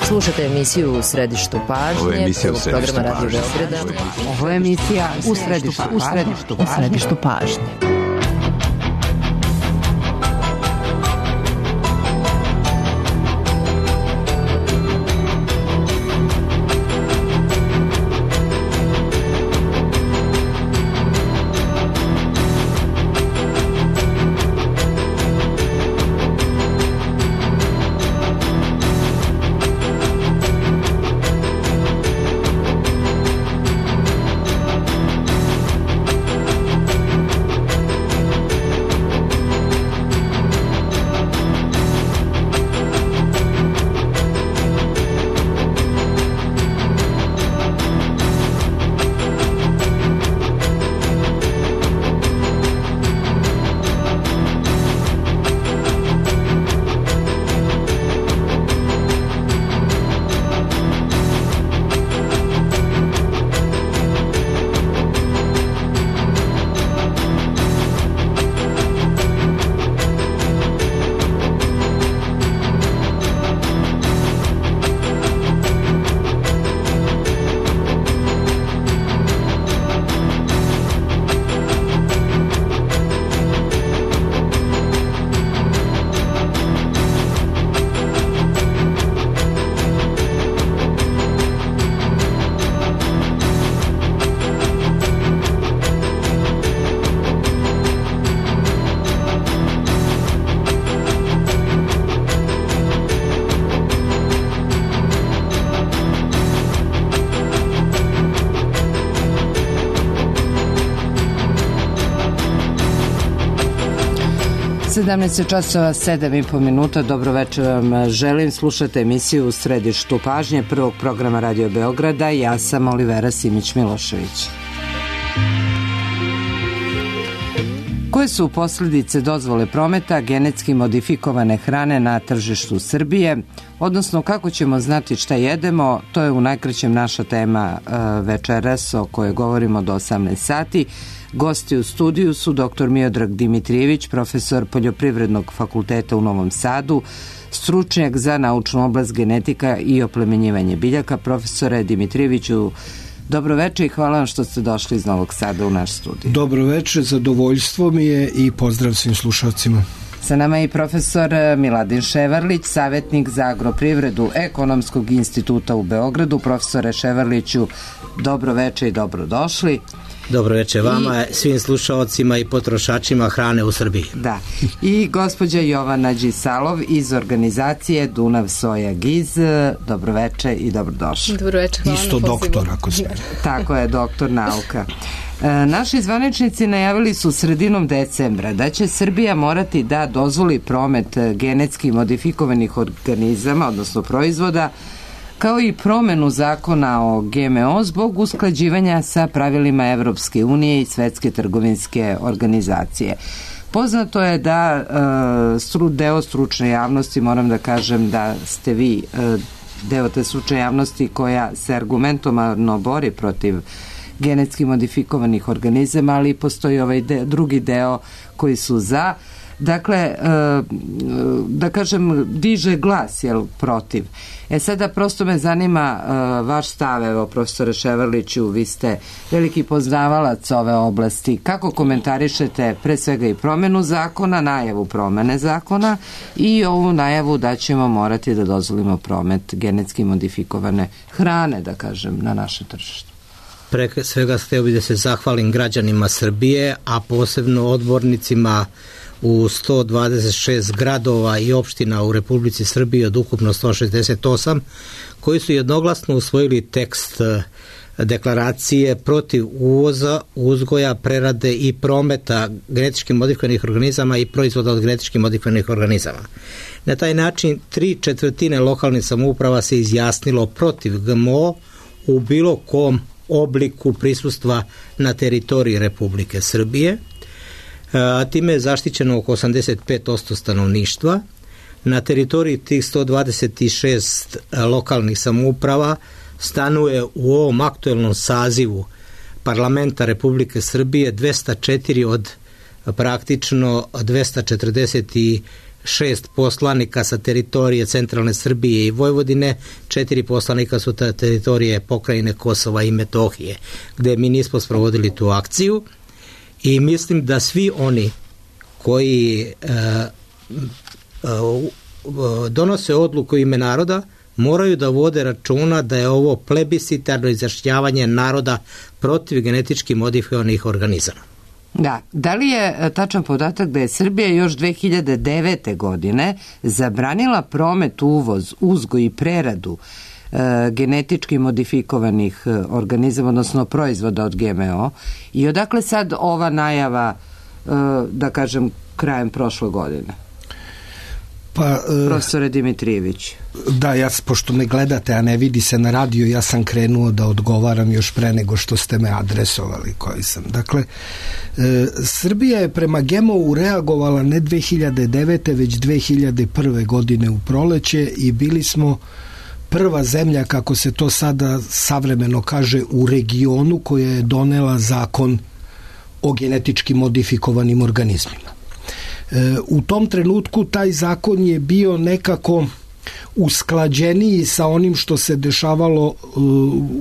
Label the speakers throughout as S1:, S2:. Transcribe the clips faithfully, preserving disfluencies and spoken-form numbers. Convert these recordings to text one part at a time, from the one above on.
S1: Slušate emisiju U središtu pažnje.
S2: Ovo je emisija U središtu
S1: programa Radio
S2: pažnje.
S1: Beograda.
S3: Ovo je emisija U središtu, u središtu, u središtu pažnje. sedamnaest časova sedam i po minuta. Dobro večer vam želim. Slušate emisiju U središtu pažnje prvog programa Radio Beograda. Ja sam Olivera Simić-Milošević. Koje su posljedice dozvole prometa genetski modifikovane hrane na tržištu Srbije, odnosno kako ćemo znati šta jedemo, to je u najkraćem naša tema večeras o kojoj govorimo do osamnaest sati. Gosti u studiju su doktor Miodrag Dimitrijević, profesor Poljoprivrednog fakulteta u Novom Sadu, stručnjak za naučnu oblast genetika i oplemenjivanje biljaka. Profesore Dimitrijeviću, dobro večer i hvala vam što ste došli iz Novog Sada u naš studij.
S4: Dobro večer, zadovoljstvo mi je i pozdrav svim slušalcima.
S3: Sa nama je i profesor Miladin Ševarlić, savjetnik za agroprivredu Ekonomskog instituta u Beogradu. Profesore Ševarliću, dobro večer i dobrodošli.
S5: Dobro večer vama, I, svim slušalcima i potrošačima hrane u Srbiji.
S3: Da. I gospođa Jovana Đisalov iz organizacije Dunav Soja Giz. Dobro večer i dobrodošli.
S6: Dobro večer, hvala.
S4: Isto doktor, ako se.
S3: Tako je, doktor nauka. E, naši zvaničnici najavili su sredinom decembra da će Srbija morati da dozvoli promet genetski modifikovanih organizama, odnosno proizvoda, kao i promenu zakona o G M O zbog usklađivanja sa pravilima Evropske unije i Svetske trgovinske organizacije. Poznato je da e, stru, deo stručne javnosti, moram da kažem da ste vi e, deo te stručne javnosti koja se argumentovano bori protiv genetski modifikovanih organizama, ali postoji ovaj de, drugi deo koji su za. Dakle, da kažem, diže glas, jel, protiv. E sada prosto me zanima vaš stav, evo, profesore Ševarliću, vi ste veliki poznavalac ove oblasti. Kako komentarišete pre svega i promenu zakona, najavu promene zakona i ovu najavu da ćemo morati da dozvolimo promet genetski modifikovane hrane, da kažem, na naše tržište?
S5: Pre svega htio bih da se zahvalim građanima Srbije, a posebno odbornicima u sto dvadeset šest gradova i opština u Republici Srbiji od ukupno sto šezdeset osam, koji su jednoglasno usvojili tekst deklaracije protiv uvoza, uzgoja, prerade i prometa genetički modifikovanih organizama i proizvoda od genetički modifikovanih organizama. Na taj način tri četvrtine lokalnih samouprava se izjasnilo protiv G M O u bilo kom obliku prisustva na teritoriji Republike Srbije. A time je zaštićeno oko osamdeset pet posto stanovništva. Na teritoriji tih sto dvadeset šest lokalnih samouprava stanuje u ovom aktuelnom sazivu parlamenta Republike Srbije dvesta četiri od praktično dvesta četrdeset šest poslanika sa teritorije centralne Srbije i Vojvodine, četiri poslanika su ta teritorije pokrajine Kosova i Metohije, gde mi nismo sprovodili tu akciju i mislim da svi oni koji e, e, donose odluku u ime naroda moraju da vode računa da je ovo plebiscitarno izjašnjavanje naroda protiv genetički modifikovanih organizama.
S3: Da, da li je tačan podatak da je Srbija još dve hiljade devete. godine zabranila promet, uvoz, uzgoj i preradu e, genetički modifikovanih organizama, odnosno proizvoda od G M O, i odakle sad ova najava, e, da kažem, krajem prošle godine?
S4: Pa,
S3: profesore Dimitrijević.
S4: Da, ja, pošto me gledate, a ne vidi se na radio, ja sam krenuo da odgovaram još pre nego što ste me adresovali koji sam. Dakle, e, Srbija je prema G M O-u reagovala ne dve hiljade devete. već dve hiljade prve. godine u proleće i bili smo prva zemlja, kako se to sada savremeno kaže, u regionu koja je donela zakon o genetički modifikovanim organizmima. U tom trenutku taj zakon je bio nekako usklađeniji sa onim što se dešavalo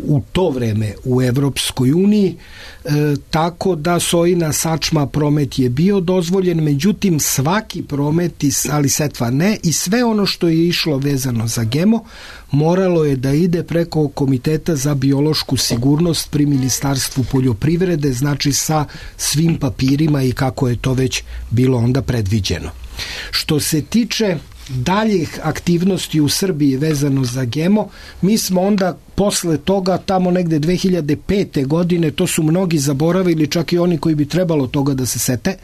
S4: u to vreme u Evropskoj uniji, tako da sojina sačma promet je bio dozvoljen, međutim svaki promet, ali setva ne, i sve ono što je išlo vezano za G M O moralo je da ide preko Komiteta za biološku sigurnost pri Ministarstvu poljoprivrede, znači sa svim papirima i kako je to već bilo onda predviđeno. Što se tiče daljih aktivnosti u Srbiji vezano za G M O, mi smo onda posle toga, tamo negde dve hiljade pete. godine, to su mnogi zaboravili, čak i oni koji bi trebalo toga da se sete,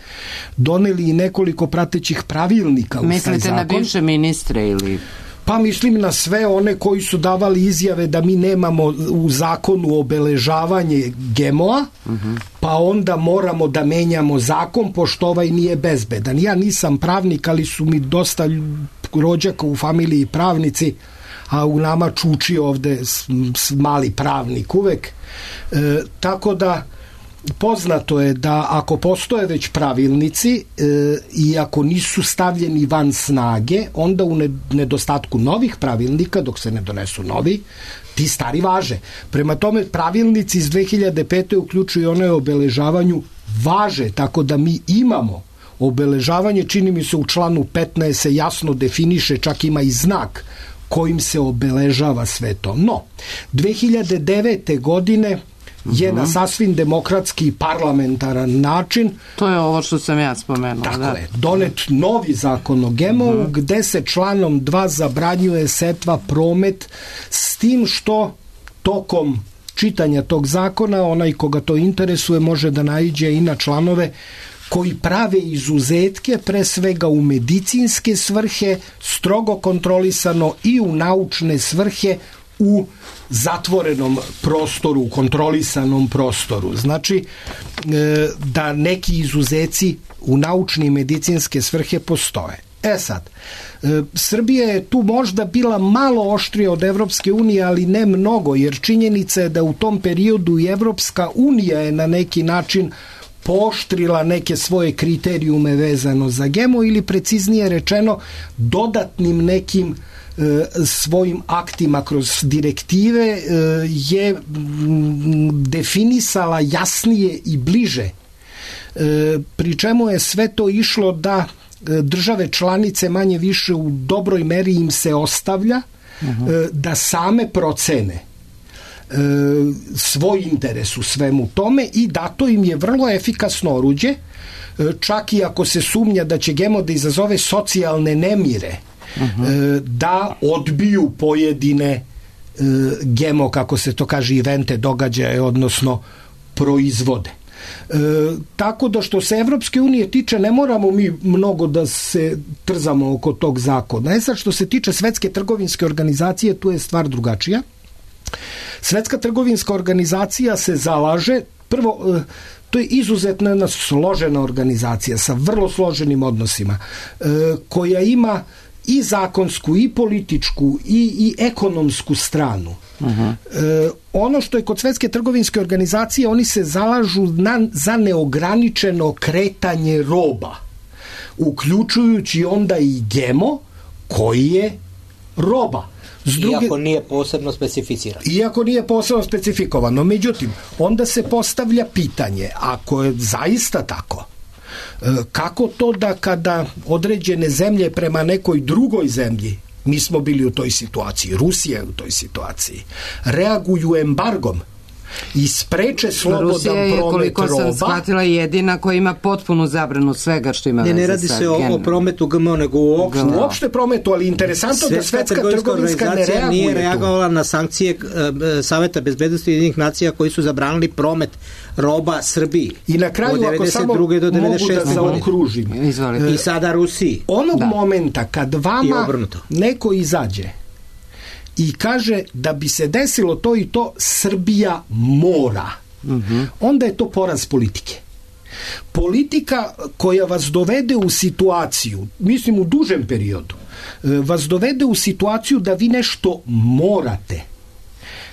S4: doneli i nekoliko pratećih pravilnika u taj zakon.
S3: Mislite na bivše ministre ili...
S4: Pa mislim na sve one koji su davali izjave da mi nemamo u zakonu obeležavanje G M O-a, uh-huh. pa onda moramo da menjamo zakon pošto ovaj nije bezbedan. Ja nisam pravnik, ali su mi dosta rođaka u familiji pravnici, a u nama čuči ovde mali pravnik uvek. E, tako da poznato je da ako postoje već pravilnici e, i ako nisu stavljeni van snage, onda u nedostatku novih pravilnika, dok se ne donesu novi, ti stari važe. Prema tome, pravilnici iz dve hiljade pete. uključuju one o obeležavanju važe, tako da mi imamo obeležavanje, čini mi se u članu petnaest se jasno definiše, čak ima i znak kojim se obeležava sve to. No, dve hiljade devete. godine je na sasvim demokratski i parlamentaran način,
S3: to je ovo što sam ja spomenula,
S4: tako
S3: da.
S4: je, donet novi zakon o G M O-u, uh-huh. gde se članom dva zabranjuje setva, promet, s tim što tokom čitanja tog zakona onaj koga to interesuje može da naiđe i na članove koji prave izuzetke, pre svega u medicinske svrhe, strogo kontrolisano, i u naučne svrhe u zatvorenom prostoru, u kontrolisanom prostoru. Znači da neki izuzeci u naučne i medicinske svrhe postoje. E sad, Srbija je tu možda bila malo oštrija od Evropske unije, ali ne mnogo, jer činjenica je da u tom periodu i Evropska unija je na neki način pooštrila neke svoje kriterijume vezano za G M O, ili preciznije rečeno dodatnim nekim e, svojim aktima kroz direktive e, je m, definisala jasnije i bliže, e, pri čemu je sve to išlo da e, države članice manje više u dobroj meri im se ostavlja uh-huh. e, da same procene svoj interes u svemu tome, i dato im je vrlo efikasno oruđe, čak i ako se sumnja da će G M O da izazove socijalne nemire, uh-huh. da odbiju pojedine G M O, kako se to kaže, evente, događaje, odnosno proizvode. E, tako da što se Evropske unije tiče, ne moramo mi mnogo da se trzamo oko tog zakona. E sad, što se tiče Svetske trgovinske organizacije, tu je stvar drugačija. Svetska trgovinska organizacija se zalaže, prvo, to je izuzetno jedna složena organizacija sa vrlo složenim odnosima, koja ima i zakonsku, i političku, i, i ekonomsku stranu. Uh-huh. E, ono što je kod Svetske trgovinske organizacije, oni se zalažu na, za neograničeno kretanje roba. uključujući onda i G M O koji je roba.
S5: S druge, iako nije posebno specificirano.
S4: Iako nije posebno specifikovano. Međutim, onda se postavlja pitanje, ako je zaista tako, kako to da kada određene zemlje prema nekoj drugoj zemlji, mi smo bili u toj situaciji, Rusija je u toj situaciji, reaguju embargom i spreče slobodan
S3: Rusija je,
S4: promet
S3: koliko
S4: roba.
S3: sam shvatila, jedina koja ima potpunu zabranu svega što ima
S5: ne,
S3: veze
S5: ne radi
S3: sa
S5: se o, o prometu G M O, nego uopšte.
S4: Uopšte prometu, ali interesantno da Svetska trgovinska ne reaguje
S5: nije reagovala tu na sankcije e, Saveta bezbednosti Ujedinjenih nacija koji su zabranili promet roba Srbiji.
S4: I na kraju, ako samo mogu da zaokružim.
S5: I sada Rusiji.
S4: Onog da. momenta kad vama neko izađe i kaže da bi se desilo to i to, Srbija mora. Mm-hmm. Onda je to poraz politike. Politika koja vas dovede u situaciju, mislim u dužem periodu, vas dovede u situaciju da vi nešto morate.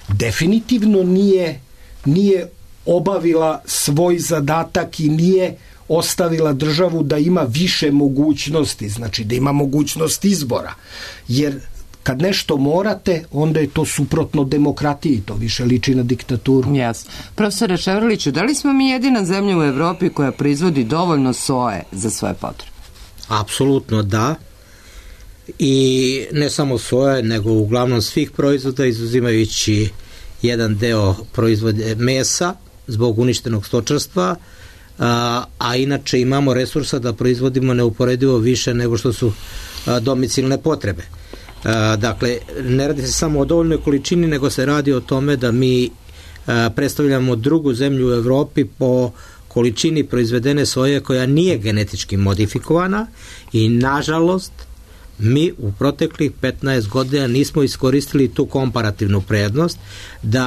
S4: Definitivno nije, nije obavila svoj zadatak i nije ostavila državu da ima više mogućnosti, znači da ima mogućnost izbora. Jer kad nešto morate, onda je to suprotno demokratiji, to više liči na diktaturu.
S3: Jasno. Profesore Ševrliću, da li smo mi jedina zemlja u Evropi koja proizvodi dovoljno soje za svoje potrebe?
S5: Apsolutno da. I ne samo soje, nego uglavnom svih proizvoda, izuzimajući jedan deo proizvode mesa zbog uništenog stočarstva, a, a inače imamo resursa da proizvodimo neuporedivo više nego što su a, domicilne potrebe. A, dakle, ne radi se samo o dovoljnoj količini, nego se radi o tome da mi a, predstavljamo drugu zemlju u Evropi po količini proizvedene soje koja nije genetički modifikovana i nažalost mi u proteklih petnaest godina nismo iskoristili tu komparativnu prednost da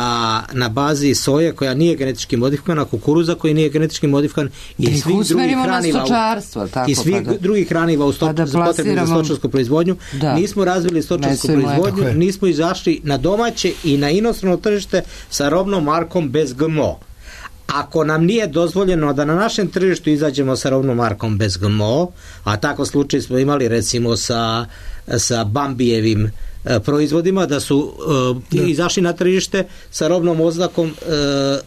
S5: na bazi soje koja nije genetički modifikovana, kukuruza koji nije genetički modifikovan i
S3: da
S5: svih drugih hraniva
S3: tako,
S5: i svih
S3: pa da,
S5: drugih hraniva u stoč,
S3: pa da
S5: potrebnih za stočarsku proizvodnju, da. nismo razvili stočarsku proizvodnju, je. nismo izašli na domaće i na inostrano tržište sa robnom markom bez G M O. Ako nam nije dozvoljeno da na našem tržištu izađemo sa robnom markom bez G M O, a tako slučaj smo imali recimo sa, sa Bambijevim e, proizvodima, da su e, izašli na tržište sa robnom oznakom e,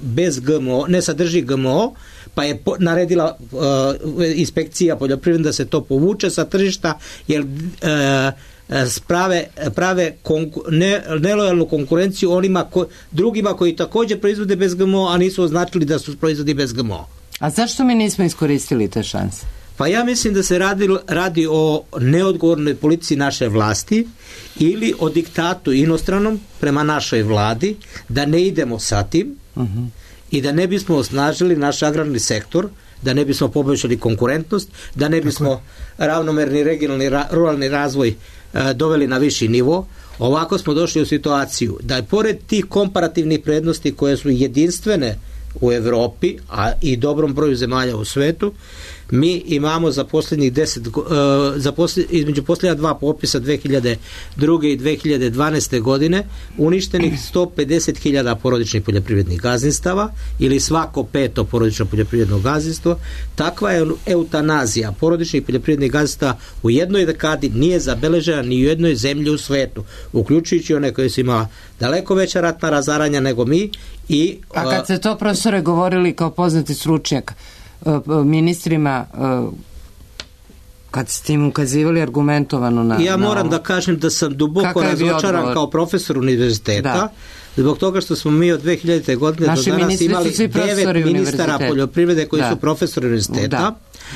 S5: bez G M O, ne sadrži G M O, pa je po, naredila e, inspekcija poljoprivredna da se to povuče sa tržišta, jer e, Sprave, prave konku, ne, nelojalnu konkurenciju onima ko, drugima koji također proizvode bez G M O, a nisu označili da su proizvodi bez G M O.
S3: A zašto mi nismo iskoristili te šanse?
S5: Pa ja mislim da se radi, radi o neodgovornoj politici naše vlasti ili o diktatu inostranom prema našoj vladi, da ne idemo sa tim uh-huh. i da ne bismo osnažili naš agrarni sektor, da ne bismo poboljšali konkurentnost, da ne bismo ravnomerni regionalni ra, ruralni razvoj e, doveli na viši nivo. Ovako smo došli u situaciju da je pored tih komparativnih prednosti koje su jedinstvene u Evropi, a i dobrom broju zemalja u svetu, mi imamo za posljednjih deset, uh, za posled, između posljednja dva popisa dve hiljade druge i dve hiljade dvanaeste godine uništenih sto pedeset hiljada porodičnih poljoprivrednih gazdinstava ili svako peto porodično poljoprivredno gazdinstvo. Takva je eutanazija porodičnih poljoprivrednih gazdinstava u jednoj dekadi nije zabeležena ni u jednoj zemlji u svetu, uključujući one koje su imala daleko veća ratna razaranja nego mi. I, uh,
S3: A kad se to, profesore, govorili kao poznati stručnjak ministrima, kad ste im ukazivali argumentovano na...
S5: Ja moram
S3: na
S5: da kažem da sam duboko razočaran kao profesor univerziteta, da. Zbog toga što smo mi od dve hiljadite godine naši do danas imali devet ministara poljoprivrede koji da. su profesori univerziteta, da.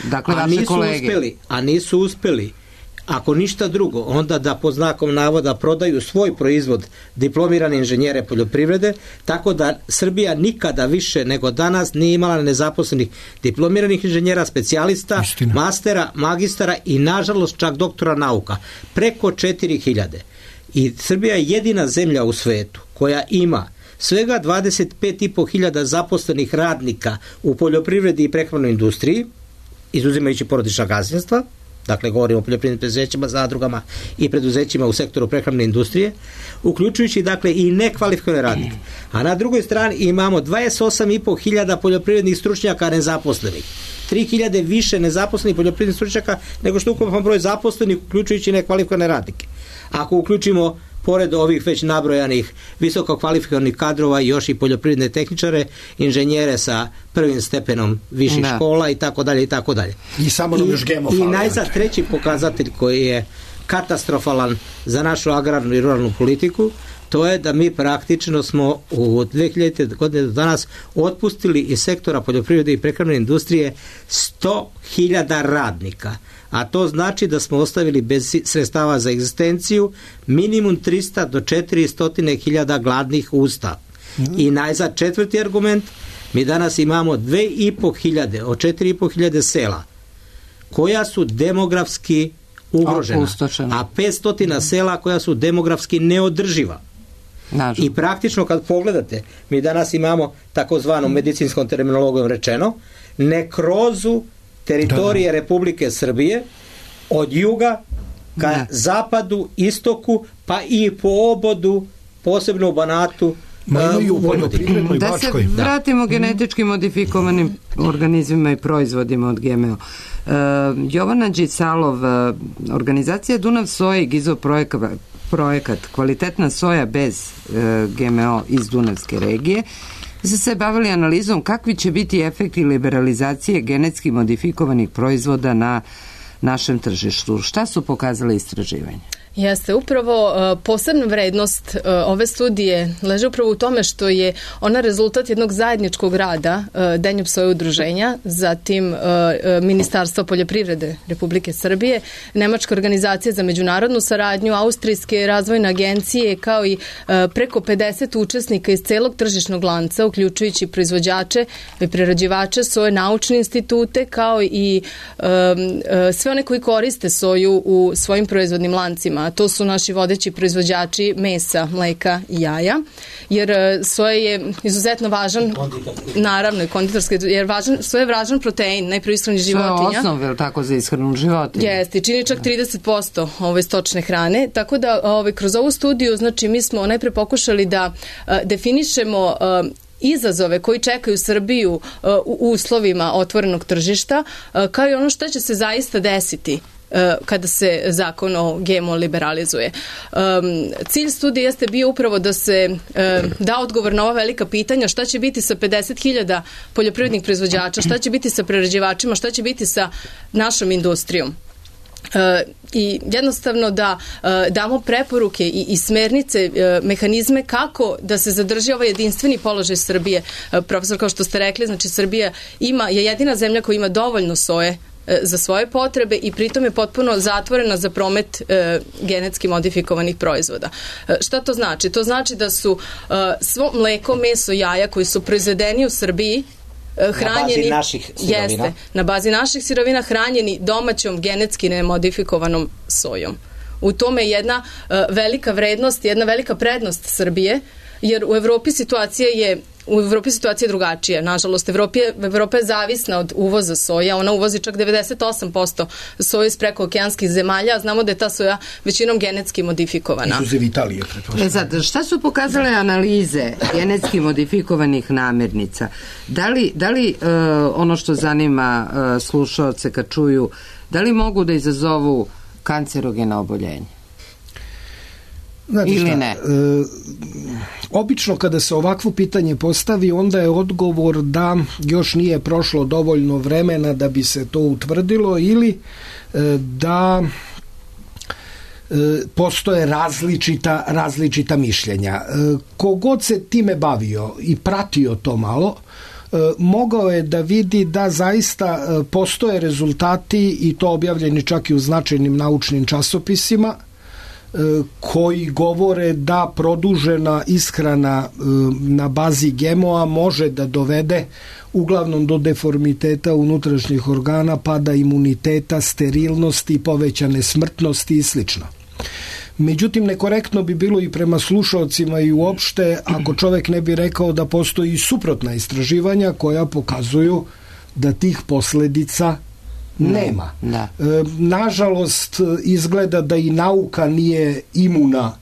S5: Dakle, a, nisu uspeli, a nisu uspeli ako ništa drugo, onda da pod znakom navoda prodaju svoj proizvod diplomirane inženjere poljoprivrede, tako da Srbija nikada više nego danas nije imala nezaposlenih diplomiranih inženjera, specijalista, Istina. mastera, magistara i nažalost čak doktora nauka. Preko četiri hiljade. I Srbija je jedina zemlja u svetu koja ima svega dvadeset pet i po hiljada zaposlenih radnika u poljoprivredi i prehrambenoj industriji, izuzimajući porodična gazdinstva, dakle govorimo o poljoprivrednim preduzećima, zadrugama i preduzećima u sektoru prehrambene industrije, uključujući dakle i nekvalifikovane radnike. A na drugoj strani imamo dvadeset osam i po hiljada poljoprivrednih stručnjaka nezaposlenih. tri hiljade više nezaposlenih poljoprivrednih stručnjaka nego što ukupan broj zaposlenih, uključujući nekvalifikovane radnike. Ako uključimo pored ovih već nabrojanih visoko kvalifikovanih kadrova još i poljoprivredne tehničare, inženjere sa prvim stepenom viših da. škola i tako dalje i tako dalje.
S4: I samo nam još gemo
S5: I najzad treći pokazatelj koji je katastrofalan za našu agrarnu i ruralnu politiku, to je da mi praktično smo u dve hiljadite godine do danas otpustili iz sektora poljoprivrede i prehrambene industrije sto hiljada radnika. A to znači da smo ostavili bez sredstava za egzistenciju minimum trista do četiristo hiljada gladnih usta. Mm. I najzad četvrti argument, mi danas imamo dve i po hiljade od četiri i po hiljade sela koja su demografski ugrožena, a petsto sela koja su demografski neodrživa. Nažal. I praktično kad pogledate, mi danas imamo takozvanom medicinskom terminologijom rečeno nekrozu teritorije Republike Srbije od juga ka ne. zapadu, istoku, pa i po obodu, posebno u Banatu,
S3: uh, da se vratimo da. genetički modifikovanim organizmima i proizvodima od G M O. Uh, Jovana Đisalov, uh, organizacija Dunav soja i Gizo projekat, projekat Kvalitetna soja bez uh, G M O iz Dunavske regije, ste se bavili analizom kakvi će biti efekti liberalizacije genetski modifikovanih proizvoda na našem tržištu. Šta su pokazale istraživanja?
S2: Jeste, upravo uh, posebna vrednost uh, ove studije leži upravo u tome što je ona rezultat jednog zajedničkog rada uh, Denjub soja udruženja, zatim uh, uh, Ministarstva poljoprivrede Republike Srbije, Nemačka organizacija za međunarodnu saradnju, Austrijske razvojne agencije, kao i uh, preko pedeset učesnika iz celog tržišnog lanca, uključujući proizvođače i prerađivače soje, naučne institute, kao i um, uh, sve one koji koriste soju u svojim proizvodnim lancima. A to su naši vodeći proizvođači mesa, mleka i jaja, jer soja je izuzetno važan, naravno i konditorski, jer važan, soja je važan protein, najprije ishrani životinja.
S3: Soja je osnov, je li tako, za ishranu životinja?
S2: Jeste, čini čak trideset posto ove stočne hrane, tako da ove, kroz ovu studiju, znači mi smo najpre pokušali da a, definišemo a, izazove koji čekaju Srbiju uh, u uslovima otvorenog tržišta, uh, kao i ono što će se zaista desiti kada se zakon o G M O liberalizuje. Um, cilj studije jeste bio upravo da se um, da odgovor na ova velika pitanja, šta će biti sa pedeset hiljada poljoprivrednih proizvođača, šta će biti sa prerađivačima, šta će biti sa našom industrijom. Uh, i jednostavno da uh, damo preporuke i, i smernice, uh, mehanizme kako da se zadrži ovaj jedinstveni položaj Srbije. Uh, profesor, kao što ste rekli, znači Srbija ima, je jedina zemlja koja ima dovoljno soje za svoje potrebe i pritom je potpuno zatvorena za promet e, genetski modifikovanih proizvoda. E, šta to znači? To znači da su e, svo mleko, meso, jaja koji su proizvedeni u Srbiji e, hranjeni,
S5: na bazi naših sirovina.
S2: Jeste, na bazi naših sirovina hranjeni domaćom genetski nemodifikovanom sojom. U tome je jedna e, velika vrednost, jedna velika prednost Srbije, jer u Evropi situacija je U Evropi situacija je drugačija. Nažalost, Evropa je, Evropa je zavisna od uvoza soja. Ona uvozi čak devedeset osam posto soje iz prekookeanskih zemalja, a znamo da je ta soja većinom genetski modifikovana.
S4: Izuzev Italije.
S3: E sad, šta su pokazale analize genetski modifikovanih namirnica? Da li, da li uh, ono što zanima uh, slušaoce kad čuju, da li mogu da izazovu kancerogena oboljenja?
S4: Znate
S3: ili
S4: šta,
S3: ne?
S4: E, obično kada se ovakvo pitanje postavi, onda je odgovor da još nije prošlo dovoljno vremena da bi se to utvrdilo ili e, da e, postoje različita, različita mišljenja. E, kogod se time bavio i pratio to malo, e, mogao je da vidi da zaista e, postoje rezultati i to objavljeni čak i u značajnim naučnim časopisima koji govore da produžena ishrana na bazi G M O-a može da dovede uglavnom do deformiteta unutrašnjih organa, pada imuniteta, sterilnosti, povećane smrtnosti i slično. Međutim, nekorektno bi bilo i prema slušaocima i uopšte ako čovek ne bi rekao da postoji suprotna istraživanja koja pokazuju da tih posledica Nema.
S3: Da.
S4: E, nažalost, izgleda da i nauka nije imuna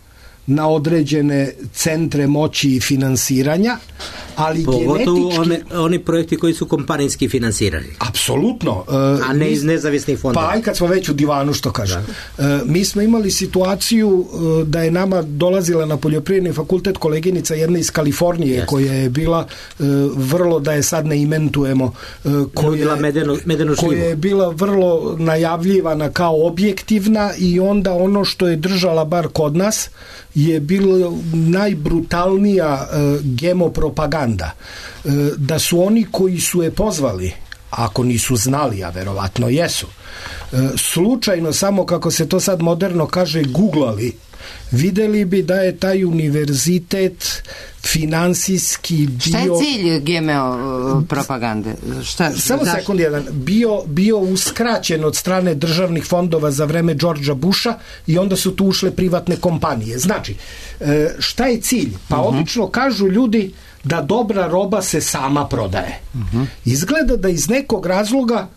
S4: na određene centre moći i finansiranja, ali
S5: pogotovo
S4: genetički...
S5: One, oni projekti koji su kompanijski finansirani.
S4: Apsolutno.
S5: A ne iz nezavisnih fondova.
S4: Pa aj kad smo već u divanu, što kažem. Da. Mi smo imali situaciju da je nama dolazila na poljoprivredni fakultet koleginica jedna iz Kalifornije, yes. koja je bila vrlo, da je sad ne imentujemo, koja,
S5: medenu, medenu
S4: koja je bila vrlo najavljivana kao objektivna i onda ono što je držala bar kod nas je bilo najbrutalnija uh, gemopropaganda. Uh, da su oni koji su je pozvali, ako nisu znali, a verovatno jesu, uh, slučajno, samo kako se to sad moderno kaže, googlali, videli bi da je taj univerzitet finansijski bio...
S3: Šta je cilj gemeo propagande? Šta,
S4: Samo
S3: zašto?
S4: sekund jedan. Bio, bio uskraćen od strane državnih fondova za vreme Đorđa Busha i onda su tu ušle privatne kompanije. Znači, šta je cilj? Pa uh-huh. obično kažu ljudi da dobra roba se sama prodaje. Uh-huh. Izgleda da iz nekog razloga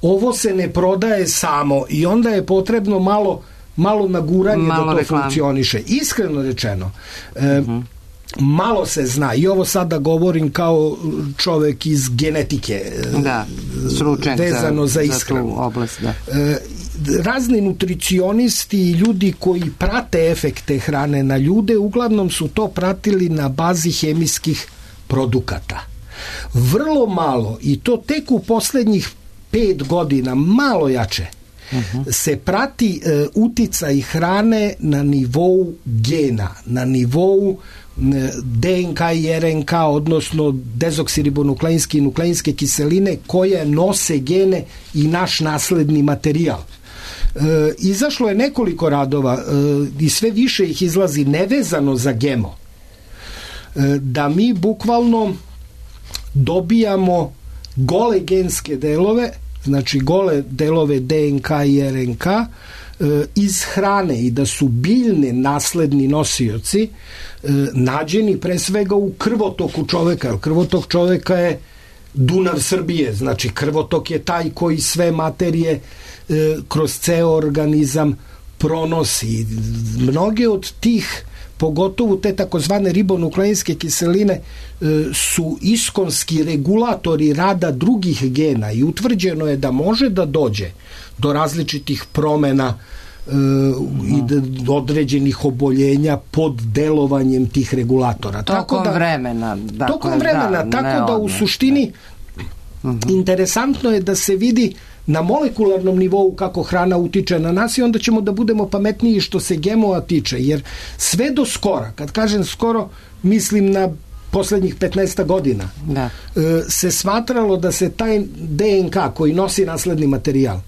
S4: ovo se ne prodaje samo i onda je potrebno malo malo naguranje malo da to reklam. funkcioniše. Iskreno rečeno, e, uh-huh. malo se zna, i ovo sada govorim kao čovek iz genetike,
S3: da, stručnjak
S4: vezano za,
S3: za
S4: ishranu.
S3: Za oblast, da.
S4: E, razni nutricionisti i ljudi koji prate efekte hrane na ljude, uglavnom su to pratili na bazi hemijskih produkata. Vrlo malo, i to tek u poslednjih pet godina, malo jače, Uh-huh. se prati e, uticaj hrane na nivou gena, na nivou e, D N K i R N K, odnosno dezoksiribonukleinske i nukleinske kiseline koje nose gene i naš nasledni materijal. E, izašlo je nekoliko radova e, i sve više ih izlazi nevezano za gemo. E, da mi bukvalno dobijamo gole genske delove, znači gole delove D N K i R N K e, iz hrane i da su biljne nasledni nosioci e, nađeni pre svega u krvotoku čoveka, jer krvotok čoveka je Dunav Srbije, znači krvotok je taj koji sve materije e, kroz ceo organizam pronosi. Mnoge od tih, pogotovo te takozvane ribonukleinske kiseline, e, su iskonski regulatori rada drugih gena i utvrđeno je da može da dođe do različitih promena e, i do određenih oboljenja pod delovanjem tih regulatora.
S3: Tokom
S4: tako da,
S3: vremena. Dakle,
S4: tokom vremena,
S3: da,
S4: tako da u suštini uh-huh. interesantno je da se vidi na molekularnom nivou kako hrana utiče na nas i onda ćemo da budemo pametniji što se gemoa tiče, jer sve do skora, kad kažem skoro, mislim na poslednjih petnaest godina, da. se smatralo da se taj D N K koji nosi nasledni materijal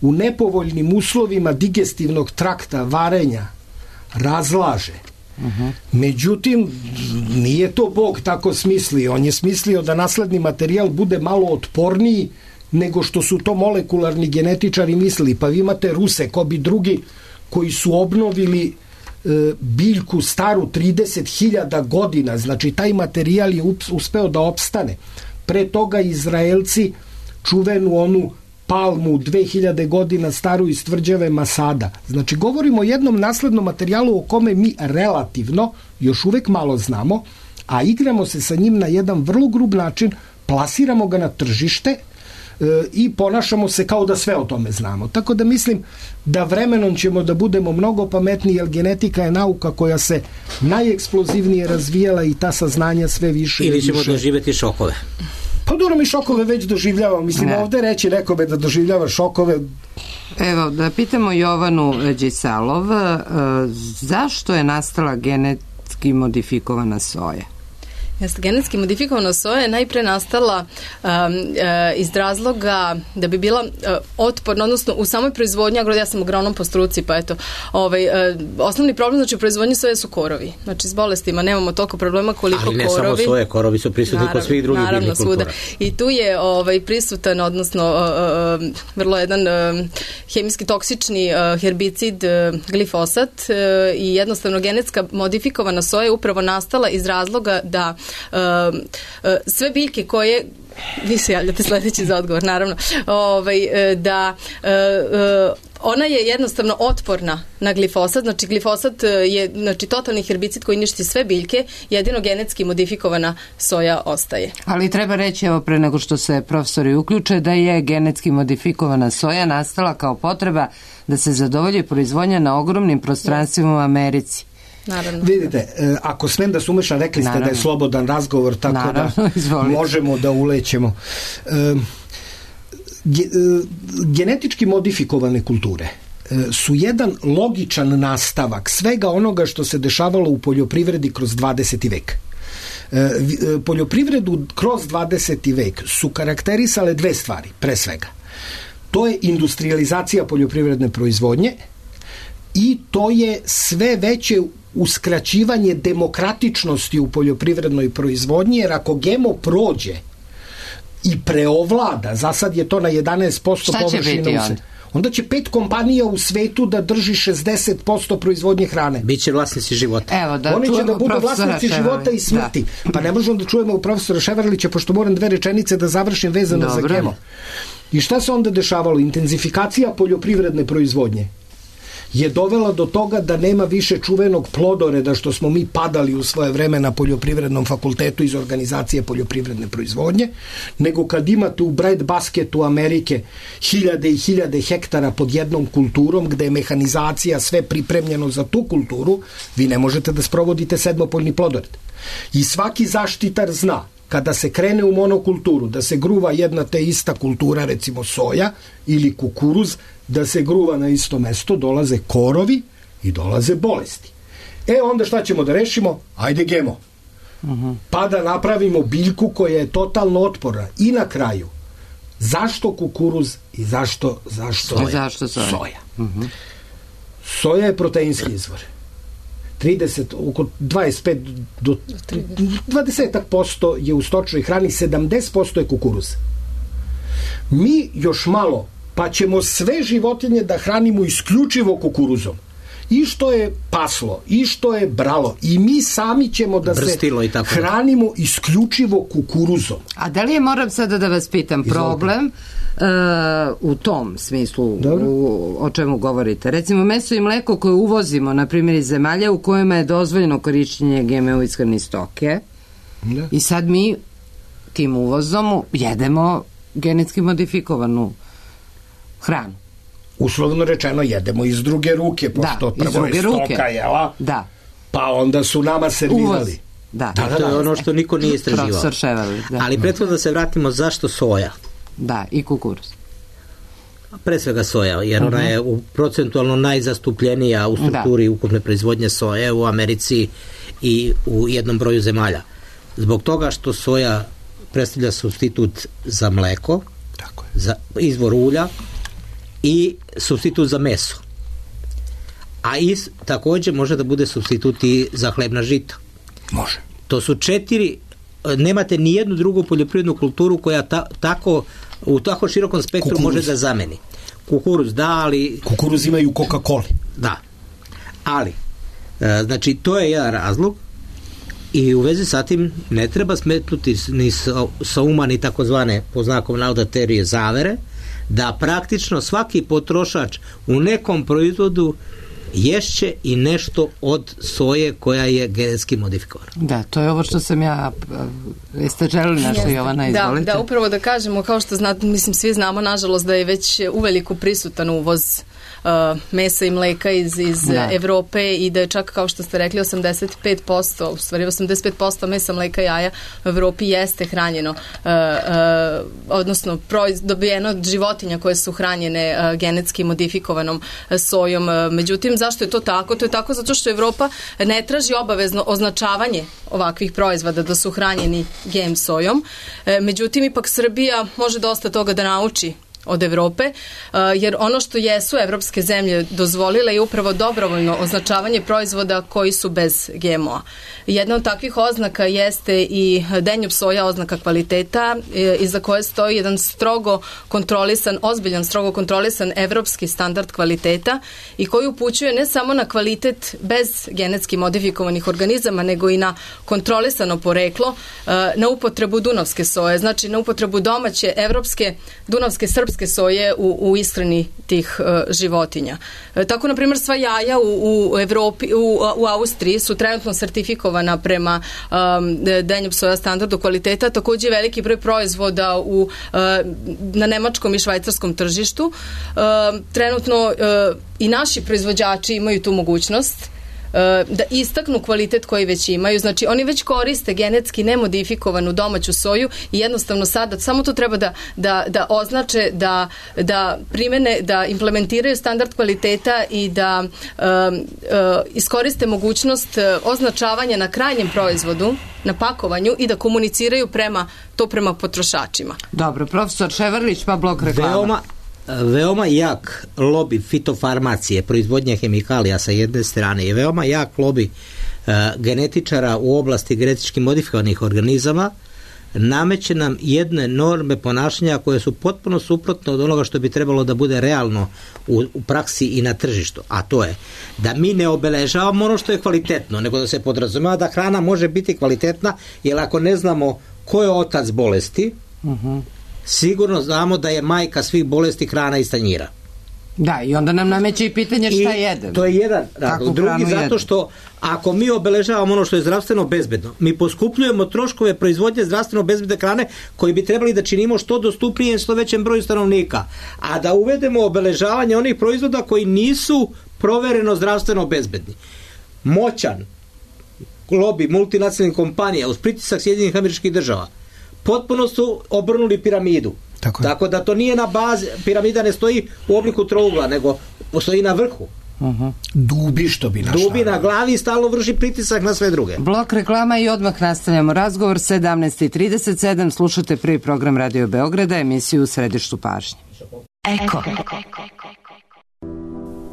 S4: u nepovoljnim uslovima digestivnog trakta, varenja, razlaže. Uh-huh. Međutim, nije to Bog tako smislio. On je smislio da nasledni materijal bude malo otporniji nego što su to molekularni genetičari mislili. Pa vi imate Ruse, ko bi drugi, koji su obnovili e, biljku staru trideset hiljada godina. Znači, taj materijal je uspeo da opstane. Pre toga Izraelci čuvenu onu palmu dve hiljade godina staru iz tvrđave Masada. Znači, govorimo o jednom naslednom materijalu o kome mi relativno još uvek malo znamo, a igramo se sa njim na jedan vrlo grub način, plasiramo ga na tržište i ponašamo se kao da sve o tome znamo. Tako da mislim da vremenom ćemo da budemo mnogo pametniji, jer genetika je nauka koja se najeksplozivnije razvijala i ta saznanja sve više
S5: ili
S4: i više.
S5: Ili ćemo doživjeti šokove.
S4: Pa dobro, mi šokove već doživljavamo. Mislim, ne. Ovde reći nekome da doživljava šokove.
S3: Evo, da pitamo Jovanu Đisalov, zašto je nastala genetski modifikovana soja?
S2: Jeste, genetski modifikovana soja je najpre nastala um, uh, iz razloga da bi bila uh, otporna, odnosno u samoj proizvodnji, ja sam agronom po struci, pa eto, ovaj, uh, osnovni problem, znači u proizvodnji soje su korovi. Znači s bolestima nemamo toliko problema koliko korovi. Ali ne
S5: korovi. Samo soje, korovi su prisutni kod svih drugih biljnih kultura. I tu je ovaj, prisutan, odnosno uh, uh, vrlo jedan uh, hemijski toksični uh, herbicid uh, glifosat uh, i jednostavno genetska modifikovana soja je upravo nastala iz razloga da
S2: uh, uh, sve biljke koje vi se javljate sledeći za odgovor, naravno, ovaj, da uh, uh, ona je jednostavno otporna na glifosat, znači glifosat je znači, totalni herbicid koji uništi sve biljke, jedino genetski modifikovana soja ostaje.
S3: Ali treba reći, evo pre nego što se profesori uključe, da je genetski modifikovana soja nastala kao potreba da se zadovolji proizvodnja na ogromnim prostranstvima u Americi.
S2: Naravno.
S4: Vidite, ako smem da se umešam, rekli ste Naravno. da je slobodan razgovor, tako Naravno, da izvolite. Možemo da ulećemo. E, genetički modifikovane kulture su jedan logičan nastavak svega onoga što se dešavalo u poljoprivredi kroz dvadeseti vek. Poljoprivredu kroz dvadeseti vek su karakterisale dve stvari, pre svega. To je industrializacija poljoprivredne proizvodnje i to je sve veće uskraćivanje demokratičnosti u poljoprivrednoj proizvodnji, jer ako G M O prođe i preovlada, za sad je to na jedanaest posto površina, onda? onda će pet kompanija u svetu da drži šezdeset posto proizvodnje hrane.
S5: Biće vlasnici života.
S3: Evo, da
S4: Oni će da budu vlasnici života i smrti. Da. Pa ne možemo da čujemo u profesora Ševarlića, pošto moram dve rečenice da završim vezano Dobre. za G M O. I šta se onda dešavalo? Intenzifikacija poljoprivredne proizvodnje je dovela do toga da nema više čuvenog plodoreda što smo mi padali u svoje vreme na poljoprivrednom fakultetu iz organizacije poljoprivredne proizvodnje, nego kad imate u bread basketu Amerike hiljade i hiljade hektara pod jednom kulturom gde je mehanizacija sve pripremljeno za tu kulturu, vi ne možete da sprovodite sedmopoljni plodored. I svaki zaštitar zna kada se krene u monokulturu, da se gruva jedna te ista kultura, recimo soja ili kukuruz, da se gruva na isto mesto, dolaze korovi i dolaze bolesti. E onda šta ćemo da rešimo? Ajde G M O. Uh-huh. Pa da napravimo biljku koja je totalno otporna. I na kraju, zašto kukuruz i zašto, zašto soja?
S3: Zašto soja?
S4: Soja. Uh-huh. Soja je proteinski izvor. trideset, oko dvadeset pet do dvadeset posto je u stočnoj hrani, sedamdeset posto je kukuruz. Mi još malo, pa ćemo sve životinje da hranimo isključivo kukuruzom. I što je paslo, i što je bralo, i mi sami ćemo da Brstilo se hranimo isključivo kukuruzom.
S3: A da li je, moram sada da vas pitam, problem uh, u tom smislu u, o čemu govorite? Recimo, meso i mleko koje uvozimo, na primjer iz zemalja u kojima je dozvoljeno korišćenje G M O ishrane stoke, da. I sad mi tim uvozom jedemo genetski modifikovanu hranu.
S4: Uslovno rečeno jedemo iz druge ruke, pošto da, prvo je stoka, jela?
S3: Da.
S4: Pa onda su nama servirali.
S3: Da.
S5: Da, da, to je ono što niko nije istraživao.
S3: Profesor Ševarlić, da.
S5: Ali prethodno da se vratimo zašto soja.
S3: Da, i kukuruz.
S5: Pre svega soja, jer uh-huh. ona je u procentualno najzastupljenija u strukturi da. ukupne proizvodnje soje u Americi i u jednom broju zemalja. Zbog toga što soja predstavlja supstitut za mleko, tako je. Za izvor ulja i supstitut za meso. A is, takođe može da bude supstitut i za hlebna žita.
S4: Može.
S5: To su četiri, nemate ni jednu drugu poljoprivrednu kulturu koja ta, tako, u tako širokom spektru Kukuruz. može da zameni. Kukuruz, da, ali...
S4: Kukuruz imaju Coca-Cola.
S5: Da. Ali, e, znači, to je jedan razlog i u vezi sa tim ne treba smetnuti ni sa, sa uma ni takozvane, po znakom navoda, teorije zavere, da praktično svaki potrošač u nekom proizvodu ješće i nešto od soje koja je genetski modifikovana.
S3: Da, to je ovo što sam ja... Jeste želili nešto, Jovana, izvolite?
S2: Da, da, upravo da kažemo, kao što znate, mislim, svi znamo, nažalost, da je već uveliko prisutan uvoz Uh, mesa i mleka iz, iz da. Evrope i da je čak, kao što ste rekli, osamdeset pet posto, u stvari osamdeset pet posto mesa, mleka i jaja u Evropi jeste hranjeno, uh, uh, odnosno proiz, dobijeno od životinja koje su hranjene uh, genetski modifikovanom uh, sojom. Uh, međutim, zašto je to tako? To je tako zato što Evropa ne traži obavezno označavanje ovakvih proizvoda da su hranjeni G M sojom. Uh, međutim, ipak Srbija može dosta toga da nauči od Evrope, jer ono što jesu evropske zemlje dozvolile je upravo dobrovoljno označavanje proizvoda koji su bez G M O-a. Jedna od takvih oznaka jeste i Danube soja oznaka kvaliteta, iza koje stoji jedan strogo kontrolisan, ozbiljan strogo kontrolisan evropski standard kvaliteta i koji upućuje ne samo na kvalitet bez genetski modifikovanih organizama, nego i na kontrolisano poreklo, na upotrebu dunavske soje, znači na upotrebu domaće, evropske, dunavske, srpske soje u, u ishrani tih uh, životinja. E, tako, na primjer, sva jaja u, u Evropi, u, u Austriji su trenutno sertifikovana prema um, Danube soja standardu kvaliteta, takođe veliki broj proizvoda u, uh, na nemačkom i švajcarskom tržištu. Uh, trenutno uh, i naši proizvođači imaju tu mogućnost da istaknu kvalitet koji već imaju. Znači, oni već koriste genetski nemodifikovanu domaću soju i jednostavno sada samo to treba da, da, da označe, da, da primene, da implementiraju standard kvaliteta i da um, uh, iskoriste mogućnost označavanja na krajnjem proizvodu, na pakovanju i da komuniciraju prema to prema potrošačima.
S3: Dobro, profesor Ševarlić, pa blok reklama.
S5: Veoma veoma jak lobi fitofarmacije, proizvodnje hemikalija sa jedne strane i veoma jak lobi uh, genetičara u oblasti genetički modifikovanih organizama nameće nam jedne norme ponašanja koje su potpuno suprotne od onoga što bi trebalo da bude realno u, u praksi i na tržištu, a to je da mi ne obeležavamo ono što je kvalitetno, nego da se podrazumeva da hrana može biti kvalitetna, jer ako ne znamo ko je otac bolesti, uh-huh. sigurno znamo da je majka svih bolesti hrana iz tanjira.
S3: Da, i onda nam nameće i pitanje šta
S5: I
S3: jedemo.
S5: To je jedan razlog. Drugi, zato što ako mi obeležavamo ono što je zdravstveno bezbedno, mi poskupljujemo troškove proizvodnje zdravstveno bezbedne hrane koji bi trebali da činimo što dostupnije što većem broju stanovnika. A da uvedemo obeležavanje onih proizvoda koji nisu provereno zdravstveno bezbedni. Moćan lobi multinacionalnih kompanija uz pritisak Sjedinjenih Američkih Država potpuno su obrnuli piramidu. Tako, Tako da to nije na bazi, piramida ne stoji u obliku trougla, nego postoji na vrhu.
S4: Uh-huh. Dubi što bi našla.
S5: Dubi na glavi i stalno vrši pritisak na sve druge.
S3: Blok reklama i odmah nastavljamo razgovor. Sedamnaest i trideset sedam, slušate prvi program Radio Beograda, emisiju U središtu pažnje.
S6: Eko.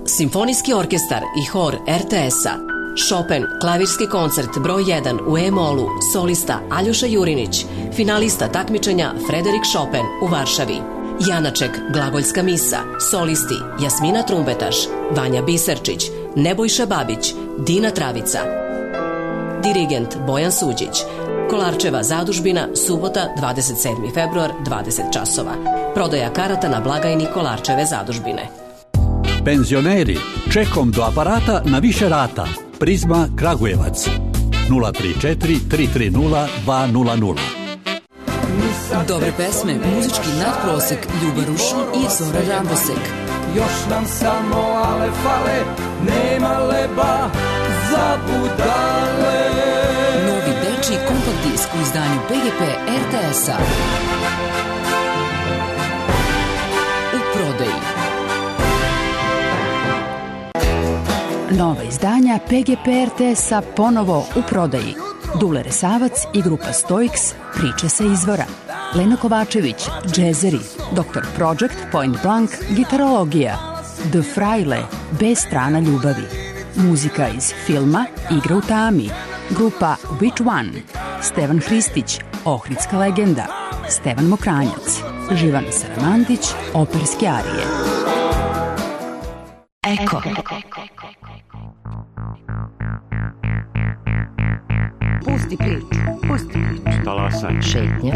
S6: Simfonijski orkestar i hor R T S-a. Chopin, klavirski koncert broj jedan u E-molu, solista Aljoša Jurinić, finalista takmičenja Frederik Chopin u Varšavi. Janaček, glagoljska misa, solisti Jasmina Trumbetaš, Vanja Biserčić, Nebojša Babić, Dina Travica. Dirigent Bojan Suđić. Kolarčeva zadužbina, subota, dvadeset sedmi februar, dvadeset časova. Prodaja karata na blagajni Kolarčeve zadužbine.
S7: Penzioneri, čekom do aparata na više rata. Prizma Kragujevac nula tri četiri tri tri nula dva nula nula.
S6: Dobre pesme, muzički nadprosek, Ljuba Rušin i Zora Rambosek.
S8: Još nam samo ale fale, nema leba za budale.
S6: Novi dečiji kompakt disk u izdanju P G P R T S-a. U prodaji.
S9: Nova izdanja P G P R T S-a ponovo u prodaji. Dule Resavac i grupa Stoiks, priče sa izvora. Lena Kovačević, džezeri. doktor Project, Point Blank, gitarologija. The Fraile, B strana ljubavi. Muzika iz filma Igra u tami. Grupa Which One. Stevan Hristić, Ohridska legenda. Stevan Mokranjac. Živana Saramandić, operske arije.
S6: Eko.
S1: Pusti priču, pusti priču.
S10: Talasanje.
S1: Šetnja.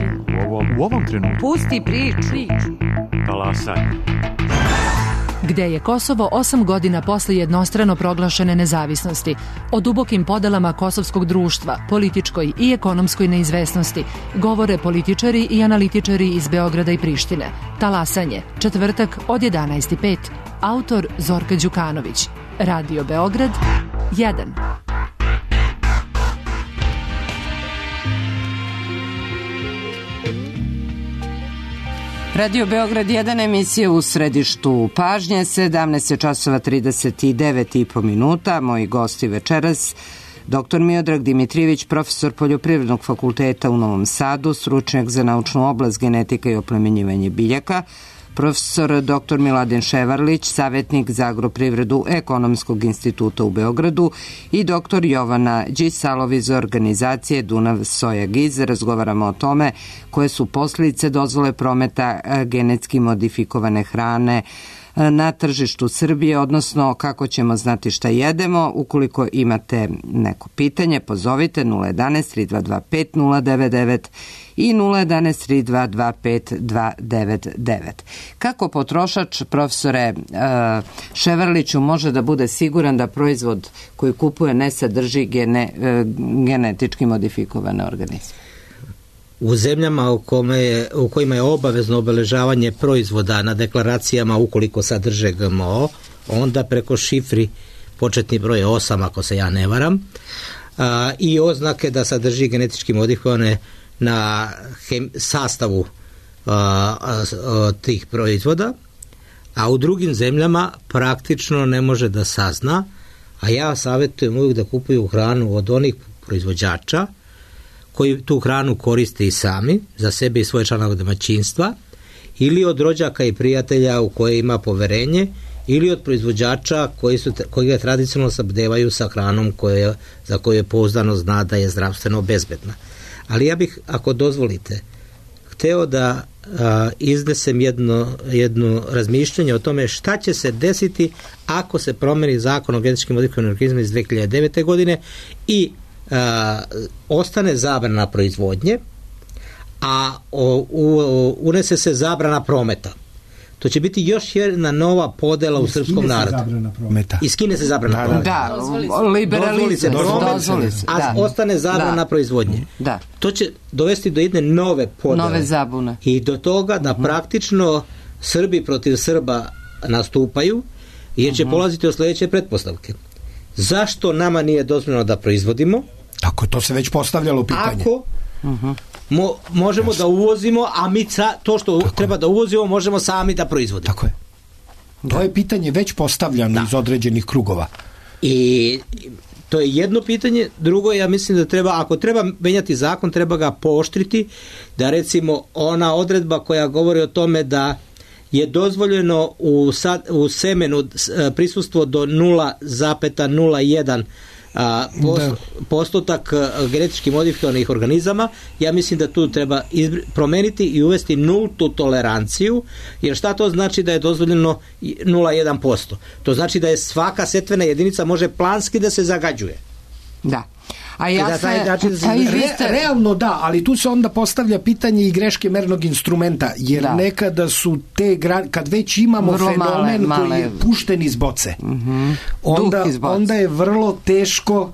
S10: U ovom, u ovom trenutku.
S1: Pusti priču.
S10: Talasanje.
S11: Gde je Kosovo osam godina posle jednostrano proglašene nezavisnosti, o dubokim podelama kosovskog društva, političkoj i ekonomskoj neizvesnosti, govore političari i analitičari iz Beograda i Prištine. Talasanje, četvrtak od jedanaest i pet. Autor Zorka Đukanović. Radio Beograd, jedan.
S3: Radio Beograd jedan, emisija U središtu pažnje, sedamnaest časova trideset devet i po minuta. Moji gosti večeras, doktor Miodrag Dimitrijević, profesor Poljoprivrednog fakulteta u Novom Sadu, stručnjak za naučnu oblast genetika i oplemenjivanje biljaka, profesor doktor Miladin Ševarlić, savjetnik za agroprivredu Ekonomskog instituta u Beogradu i doktor Jovana Đisalovi iz organizacije Dunav Soja Giz. Razgovaramo o tome koje su posljedice dozvole prometa genetski modifikovane hrane na tržištu Srbije, odnosno kako ćemo znati šta jedemo. Ukoliko imate neko pitanje, pozovite nula jedanaest tri dva dva pet nula devet devet i nula jedanaest tri dva dva pet dva devet devet. Kako potrošač, profesore Ševarliću, može da bude siguran da proizvod koji kupuje ne sadrži gene, genetički modifikovane organizme?
S5: U zemljama u, kome je, u kojima je obavezno obeležavanje proizvoda na deklaracijama ukoliko sadrže G M O, onda preko šifri početni broj je osam, ako se ja ne varam, a, i oznake da sadrži genetički modifikovane na hem, sastavu a, a, a, tih proizvoda, a u drugim zemljama praktično ne može da sazna, a ja savjetujem uvijek da kupuju hranu od onih proizvođača koji tu hranu koriste i sami, za sebe i svoje članove domaćinstva, ili od rođaka i prijatelja u koje ima poverenje, ili od proizvođača koji, su, koji ga tradicionalno snabdevaju sa hranom koje, za koju je pouzdano zna da je zdravstveno bezbedna. Ali ja bih, ako dozvolite, hteo da a, iznesem jedno, jedno razmišljanje o tome šta će se desiti ako se promeni zakon o genetičkim modifikovanim organizmima iz dve hiljade devete. godine i Uh, ostane zabrana proizvodnje, a o, u, unese se zabrana prometa. To će biti još jedna nova podela u srpskom narodu. Iskine se zabrana prometa.
S3: Da, liberalizam, dozvoli se,
S5: a ostane zabrana da. proizvodnje.
S3: Da.
S5: To će dovesti do jedne nove podele.
S3: Nove zabune.
S5: I do toga da uh-huh. praktično Srbi protiv Srba nastupaju, jer će uh-huh. polaziti od sljedeće pretpostavke. Zašto nama nije dozvoljeno da proizvodimo?
S4: Tako, to se već postavljalo pitanje.
S5: Ako uh-huh. mo, možemo Jasne. da uvozimo, a mi ca, to što Tako treba je. da uvozimo možemo sami da proizvodimo.
S4: Tako je. To da. je pitanje već postavljano da. iz određenih krugova.
S5: I to je jedno pitanje. Drugo, ja mislim da treba, ako treba menjati zakon, treba ga pooštriti, da recimo ona odredba koja govori o tome da je dozvoljeno u, sad, u semenu prisustvo do nula zarez nula jedan a, post, postotak genetički modifikovanih organizama, ja mislim da tu treba izbri, promeniti i uvesti nultu toleranciju, jer šta to znači da je dozvoljeno nula zarez jedan posto? To znači da je svaka setvena jedinica može planski da se zagađuje.
S3: Da. A ja
S5: da
S3: se,
S5: način,
S4: a re, ste... realno da, ali tu se onda postavlja pitanje i greške mernog instrumenta, jer da. nekada su te gra... kad već imamo vrlo fenomen male, koji je pušten iz boce, mm-hmm. onda, iz boce. onda je vrlo teško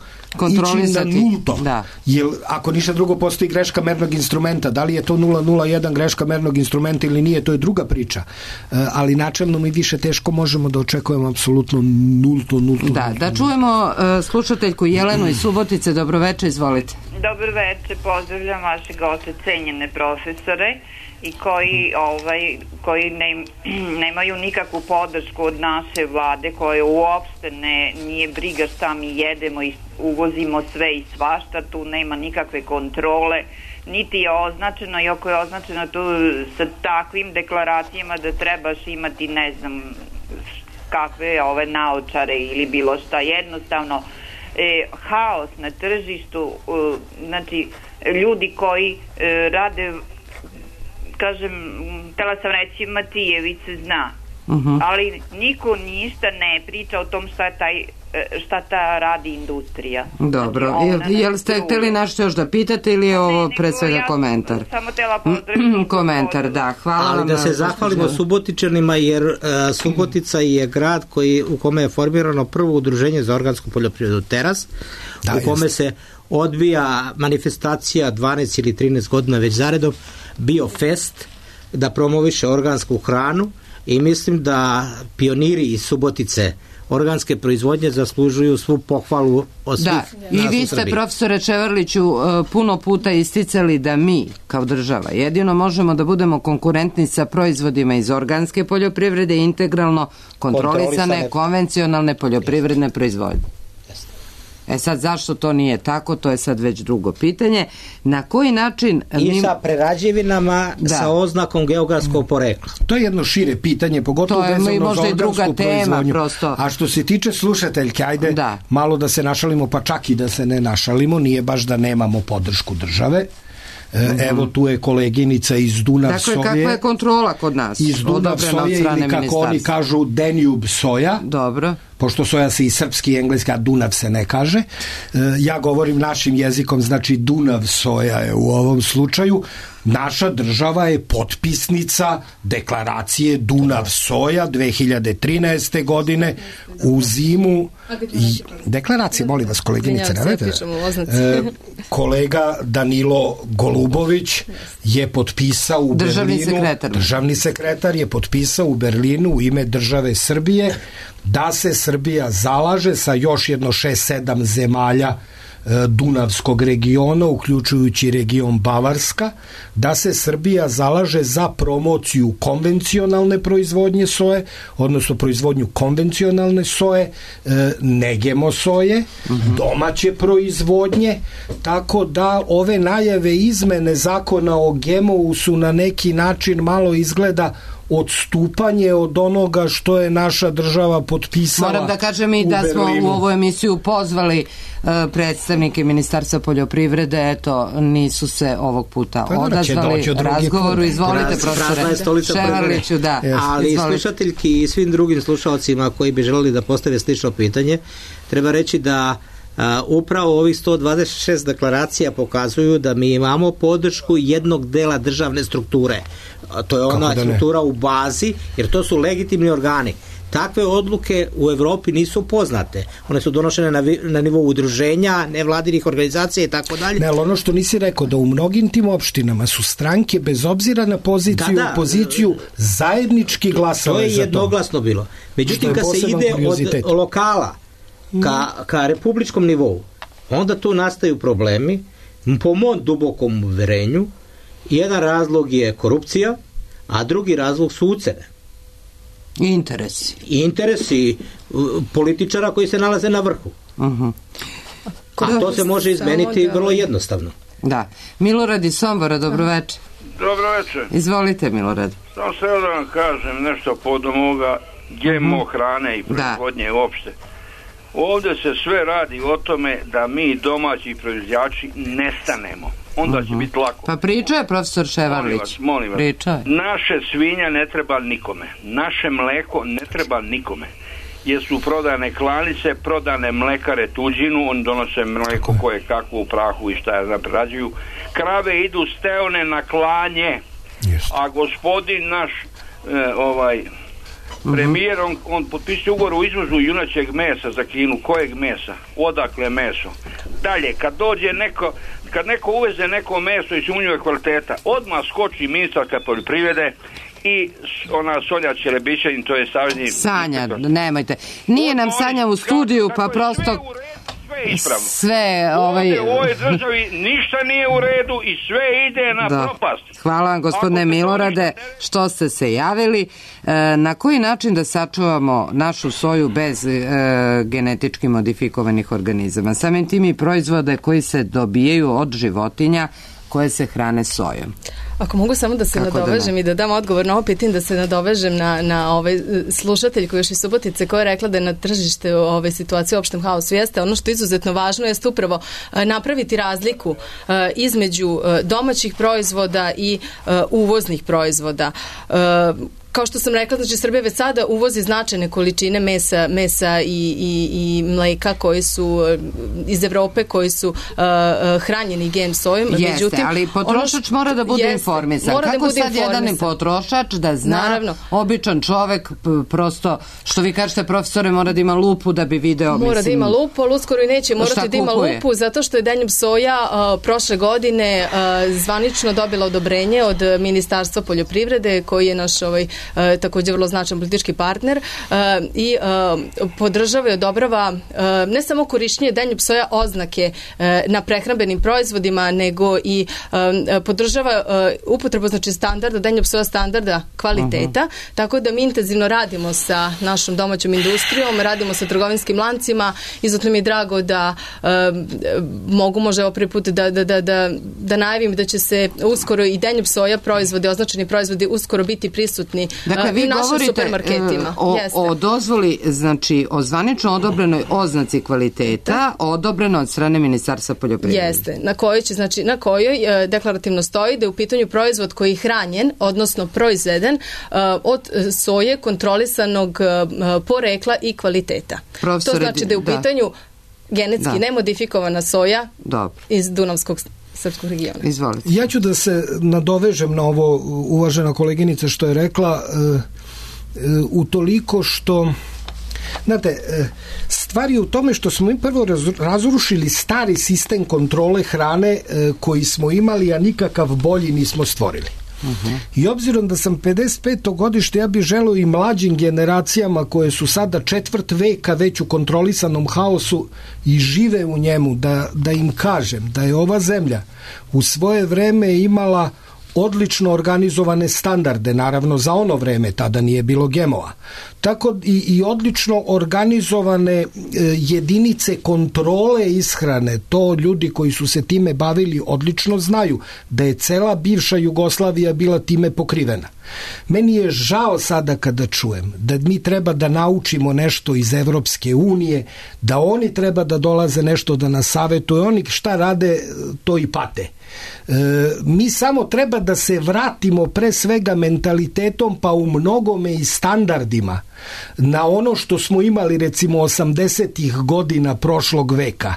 S4: ići na nulto. Da. Jer ako ništa drugo postoji greška mernog instrumenta, da li je to nula zarez nula jedan greška mernog instrumenta ili nije, to je druga priča. Uh, ali načelno mi više teško možemo da očekujemo apsolutno nulto, nulto.
S3: Da,
S4: nulto.
S3: Da čujemo uh, slušateljku Jelenu iz Subotice. Dobro večer, izvolite.
S12: Dobro večer, pozdravljam vaše goste, cenjene profesore, i koji, ovaj, koji ne, nemaju nikakvu podršku od naše vlade, koje uopšte ne, nije briga šta mi jedemo i uvozimo sve i svašta, tu nema nikakve kontrole, niti je označeno, i ako je označeno tu sa takvim deklaracijama da trebaš imati ne znam kakve ove naočare ili bilo šta, jednostavno e, haos na tržištu, e, znači ljudi koji e, rade, kažem, htjela sam reći Matijević zna, uh-huh. ali niko ništa ne priča o tom šta, taj, šta ta radi industrija.
S3: Dobro, znači, jel, jel ste htjeli nešto još da pitate ili je ovo pre svega ja komentar?
S12: Samo htjela pozdraviti.
S3: Komentar, da, hvala.
S5: Ali da se zahvalimo Subotičanima, jer uh, Subotica je grad koji, u kome je formirano prvo udruženje za organsku poljoprivredu Teras, da, u kome jest. se odvija manifestacija dvanaest ili trinaest godina već zaredom, Biofest, da promoviše organsku hranu, i mislim da pioniri iz Subotice organske proizvodnje zaslužuju svu pohvalu od svih.
S3: Da, i vi ste, profesore Ševarliću, puno puta isticali da mi, kao država, jedino možemo da budemo konkurentni sa proizvodima iz organske poljoprivrede, integralno kontrolisane, konvencionalne poljoprivredne proizvodnje. E sad, zašto to nije tako, to je sad već drugo pitanje. Na koji način...
S5: I
S3: mi...
S5: sa prerađevinama da. sa oznakom geografskog porekla.
S4: To je jedno šire pitanje, pogotovo
S3: to je
S4: vezano
S3: možda
S4: za
S3: i druga
S4: organsku
S3: tema,
S4: proizvodnju.
S3: Prosto.
S4: A što se tiče slušateljke, ajde da. malo da se našalimo, pa čak i da se ne našalimo, nije baš da nemamo podršku države. Evo tu je koleginica iz Dunav
S3: dakle,
S4: Soje.
S3: Kakva je kontrola kod nas?
S4: Iz Dunav Soje ili kako oni kažu Danube Soja.
S3: Dobro.
S4: Pošto soja se i srpski i engleski, a Dunav se ne kaže. Ja govorim našim jezikom, znači Dunav Soja je u ovom slučaju. Naša država je potpisnica deklaracije Dunav Soja dve hiljade trinaeste. godine u zimu. Deklaracije, molim vas koleginice, e, kolega Danilo Golubović je potpisao u
S3: državni
S4: Berlinu,
S3: sekretar.
S4: državni sekretar je potpisao u Berlinu u ime države Srbije da se Srbija zalaže sa još jedno šest sedam zemalja Dunavskog regiona, uključujući region Bavarska, da se Srbija zalaže za promociju konvencionalne proizvodnje soje, odnosno proizvodnju konvencionalne soje, ne G M O soje, domaće proizvodnje, tako da ove najave izmene zakona o G M O-u su na neki način malo izgleda odstupanje od onoga što je naša država potpisala.
S3: Moram da kažem i da smo u ovu emisiju pozvali uh, predstavnike Ministarstva poljoprivrede, eto, nisu se ovog puta pa, odazvali razgovoru. Izvolite, profesore Ševarliću, da.
S5: Yes. Ali izvolite. Slušateljki i svim drugim slušalcima koji bi želeli da postave slično pitanje, treba reći da Uh, upravo ovih sto dvadeset šest deklaracija pokazuju da mi imamo podršku jednog dela državne strukture. Uh, to je ona struktura u bazi, jer to su legitimni organi. Takve odluke u Evropi nisu poznate. One su donošene na, vi, na nivou udruženja, nevladinih organizacija i tako dalje.
S4: Ne, ali ono što nisi rekao, da u mnogim tim opštinama su stranke, bez obzira na poziciju, da, da, opoziciju, zajednički glasale za to.
S5: To je jednoglasno bilo. Međutim, kad se ide od lokala Ka, ka republičkom nivou, onda tu nastaju problemi. Po mom dubokom uverenju, jedan razlog je korupcija, a drugi razlog su ucene.
S3: Interesi.
S5: Interesi političara koji se nalaze na vrhu. Uh-huh. A to se može izmeniti vrlo jednostavno.
S3: Da. Milorad iz Sombora, dobroveče.
S13: Dobroveče.
S3: Izvolite, Milorad.
S13: Samo se da vam kažem nešto podom ovoga G M O hrane i proizvodnje uopšte. Ovdje se sve radi o tome da mi domaći proizvođači nestanemo. Onda uh-huh. će biti lako.
S3: Pa pričao je profesor Ševarlić.
S13: Molim vas, molim vas.
S3: Pričao.
S13: Naše svinja ne treba nikome. Naše mleko ne treba nikome. Jer su prodane klanice, prodane mlekare tuđinu, oni donose mleko koje kako u prahu i šta je naprerađuju. Krave idu steone na klanje. Just. A gospodin naš e, ovaj premijer, on, on potpisuje ugovor o izvozu junačeg mesa za Kinu. Kojeg mesa? Odakle meso? Dalje, kad dođe neko, kad neko uveze neko meso i sumnjive kvaliteta, odmah skoči ministarka poljoprivrede i ona Sonja Čelebićanin, to je savezni...
S3: Sanja, nemojte. Nije nam Sanja u studiju, pa prosto... sve ovaj...
S13: u ovoj državi ništa nije u redu i sve ide na da. propast.
S3: Hvala vam, gospodine Milorade, što ste se javili. E, na koji način da sačuvamo našu soju bez e, genetički modifikovanih organizama? Samim tim i proizvode koji se dobijaju od životinja koje se hrane sojom.
S2: Ako mogu samo da se Kako nadovežem da i da dam odgovor na ovo pitanje, da se nadovežem na, na ovaj slušatelj koji još iz Subotice koja je rekla da je na tržište ove situacije u opštem haosu. Jeste, ono što je izuzetno važno jeste upravo napraviti razliku između domaćih proizvoda i uvoznih proizvoda. Kao što sam rekla, znači Srbija već sada uvozi značajne količine mesa, mesa i, i, i mleka koji su iz Evrope, koji su uh, hranjeni G M sojom.
S3: Jeste, međutim, ali potrošač mora da bude jeste, informisan. Kako da bude sad informisan. Jedan potrošač da zna, naravno, običan čovek prosto, što vi kažete profesore, mora da ima lupu da bi video.
S2: Mora mislim, da ima lupu, ali uskoro i neće morati da ima lupu, zato što je Danube soja uh, prošle godine uh, zvanično dobila odobrenje od Ministarstva poljoprivrede, koji je naš ovaj e, takođe vrlo značajan politički partner e, i e, podržava i odobrava e, ne samo korišćenje denjub soja oznake e, na prehrambenim proizvodima, nego i e, podržava e, upotrebu znači standarda, denjub soja standarda kvaliteta, uh-huh. tako da mi intenzivno radimo sa našom domaćom industrijom, radimo sa trgovinskim lancima, izuzetno mi je drago da e, mogu možda ovo prvi put da, da, da, da, da najavim da će se uskoro i denjub soja proizvodi, označeni proizvodi uskoro biti prisutni
S3: dakle, vi
S2: u našim
S3: govorite,
S2: supermarketima.
S3: O, o dozvoli, znači o zvanično odobrenoj oznaci kvaliteta, odobreno od strane Ministarstva poljoprivrede.
S2: Jeste, na kojoj će, znači na kojoj e, deklarativno stoji da je u pitanju proizvod koji je hranjen, odnosno proizveden e, od soje kontrolisanog e, porekla i kvaliteta. Profesore, to znači da je u pitanju da. genetski da. nemodifikovana soja Dobro. iz Dunavskog srpskog regiona.
S3: Izvolite.
S4: Ja ću da se nadovežem na ovo, uvažena koleginica što je rekla, e, e, utoliko što znate, stvar je u tome što smo mi prvo razrušili stari sistem kontrole hrane koji smo imali, a nikakav bolji nismo stvorili. Uh-huh. I obzirom da sam pedeset peto godište, ja bih želeo i mlađim generacijama koje su sada četvrt veka već u kontrolisanom haosu i žive u njemu, da, da im kažem da je ova zemlja u svoje vreme imala odlično organizovane standarde, naravno za ono vreme, tada nije bilo G M O-a. Tako i, i odlično organizovane e, jedinice kontrole ishrane, to ljudi koji su se time bavili odlično znaju da je cela bivša Jugoslavija bila time pokrivena. Meni je žao sada kada čujem da mi treba da naučimo nešto iz Evropske unije, da oni treba da dolaze nešto da nas savetuju, oni šta rade to i pate. E, mi samo treba da se vratimo pre svega mentalitetom pa u mnogome i standardima na ono što smo imali recimo osamdesetih godina prošlog veka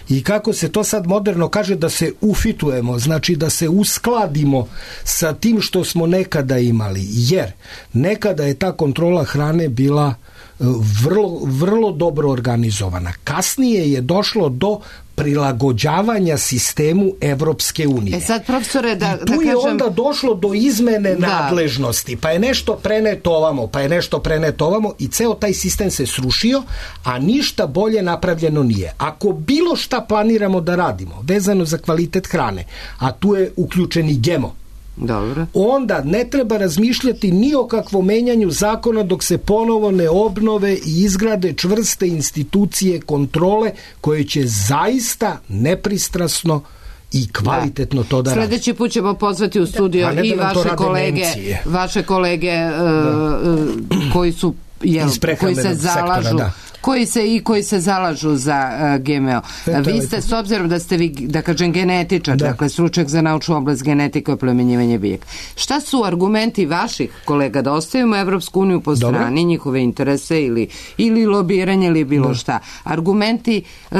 S4: i kako se to sad moderno kaže da se ufitujemo, znači da se uskladimo sa tim što smo nekada imali, jer nekada je ta kontrola hrane bila vrlo, vrlo dobro organizovana. Kasnije je došlo do prilagođavanja sistemu Evropske unije.
S3: E sad, profesore, da,
S4: I tu
S3: da
S4: je
S3: kažem...
S4: onda došlo do izmene
S3: da.
S4: nadležnosti, pa je nešto preneto ovamo, pa je nešto preneto ovamo i ceo taj sistem se srušio, a ništa bolje napravljeno nije. Ako bilo šta planiramo da radimo, vezano za kvalitet hrane, a tu je uključeni G M O,
S3: Dobro.
S4: onda ne treba razmišljati ni o kakvom menjanju zakona dok se ponovo ne obnove i izgrade čvrste institucije kontrole koje će zaista nepristrasno i kvalitetno da. to da radi.
S3: Sledeći put ćemo pozvati u studio da. i da vaše kolege, Nemcije. vaše kolege uh, koji su jel, koji se zalažu sektora, da. koji se i koji se zalažu za uh, G M O. Eto, vi ste, s obzirom da ste vi, da kažem, genetičar, da. dakle, stručnjak za naučnu oblast genetike i oplemenjivanje biljaka. Šta su argumenti vaših kolega da ostavimo Evropsku uniju po strani, Dobre. njihove interese ili, ili lobiranje ili bilo da. šta? Argumenti uh,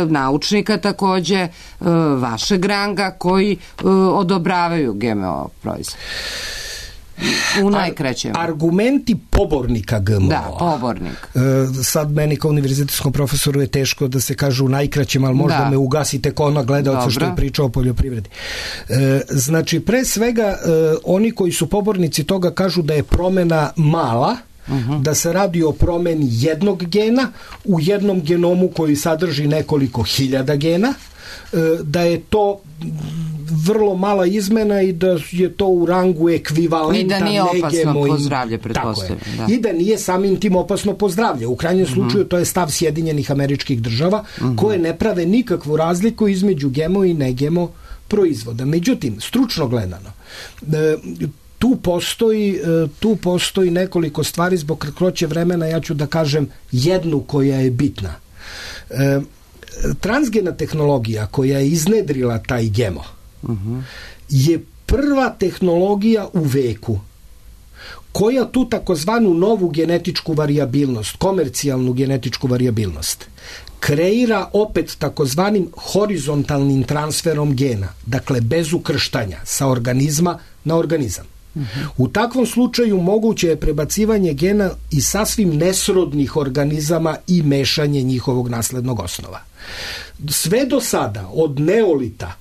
S3: naučnika takođe, uh, vašeg ranga koji uh, odobravaju G M O proizvod. U najkraćem.
S4: Ar, argumenti pobornika G M O.
S3: Da, pobornik.
S4: E, sad meni kao univerzitetskom profesoru je teško da se kaže u najkraćem, ali možda da. me ugasite kao ona gledalca što je pričao o poljoprivredi. E, znači, pre svega, e, oni koji su pobornici toga kažu da je promena mala, uh-huh. da se radi o promeni jednog gena u jednom genomu koji sadrži nekoliko hiljada gena, e, da je to vrlo mala izmena i da je to u rangu ekvivalenta
S3: i da nije opasno po zdravlje, pretpostavljam.
S4: Da. I da nije samim tim opasno po zdravlje. U krajnjem uh-huh. slučaju to je stav Sjedinjenih Američkih Država uh-huh. koje ne prave nikakvu razliku između G M O i ne G M O proizvoda. Međutim, stručno gledano, e, tu postoji, tu postoji nekoliko stvari, zbog kratkoće vremena ja ću da kažem jednu koja je bitna. E, transgena tehnologija koja je iznedrila taj G M O uh-huh. je prva tehnologija u veku koja tu takozvanu novu genetičku varijabilnost, komercijalnu genetičku varijabilnost, kreira opet takozvanim horizontalnim transferom gena, dakle bez ukrštanja sa organizma na organizam. Uh-huh. U takvom slučaju moguće je prebacivanje gena i sasvim nesrodnih organizama i mešanje njihovog naslednog osnova. Sve do sada, od neolita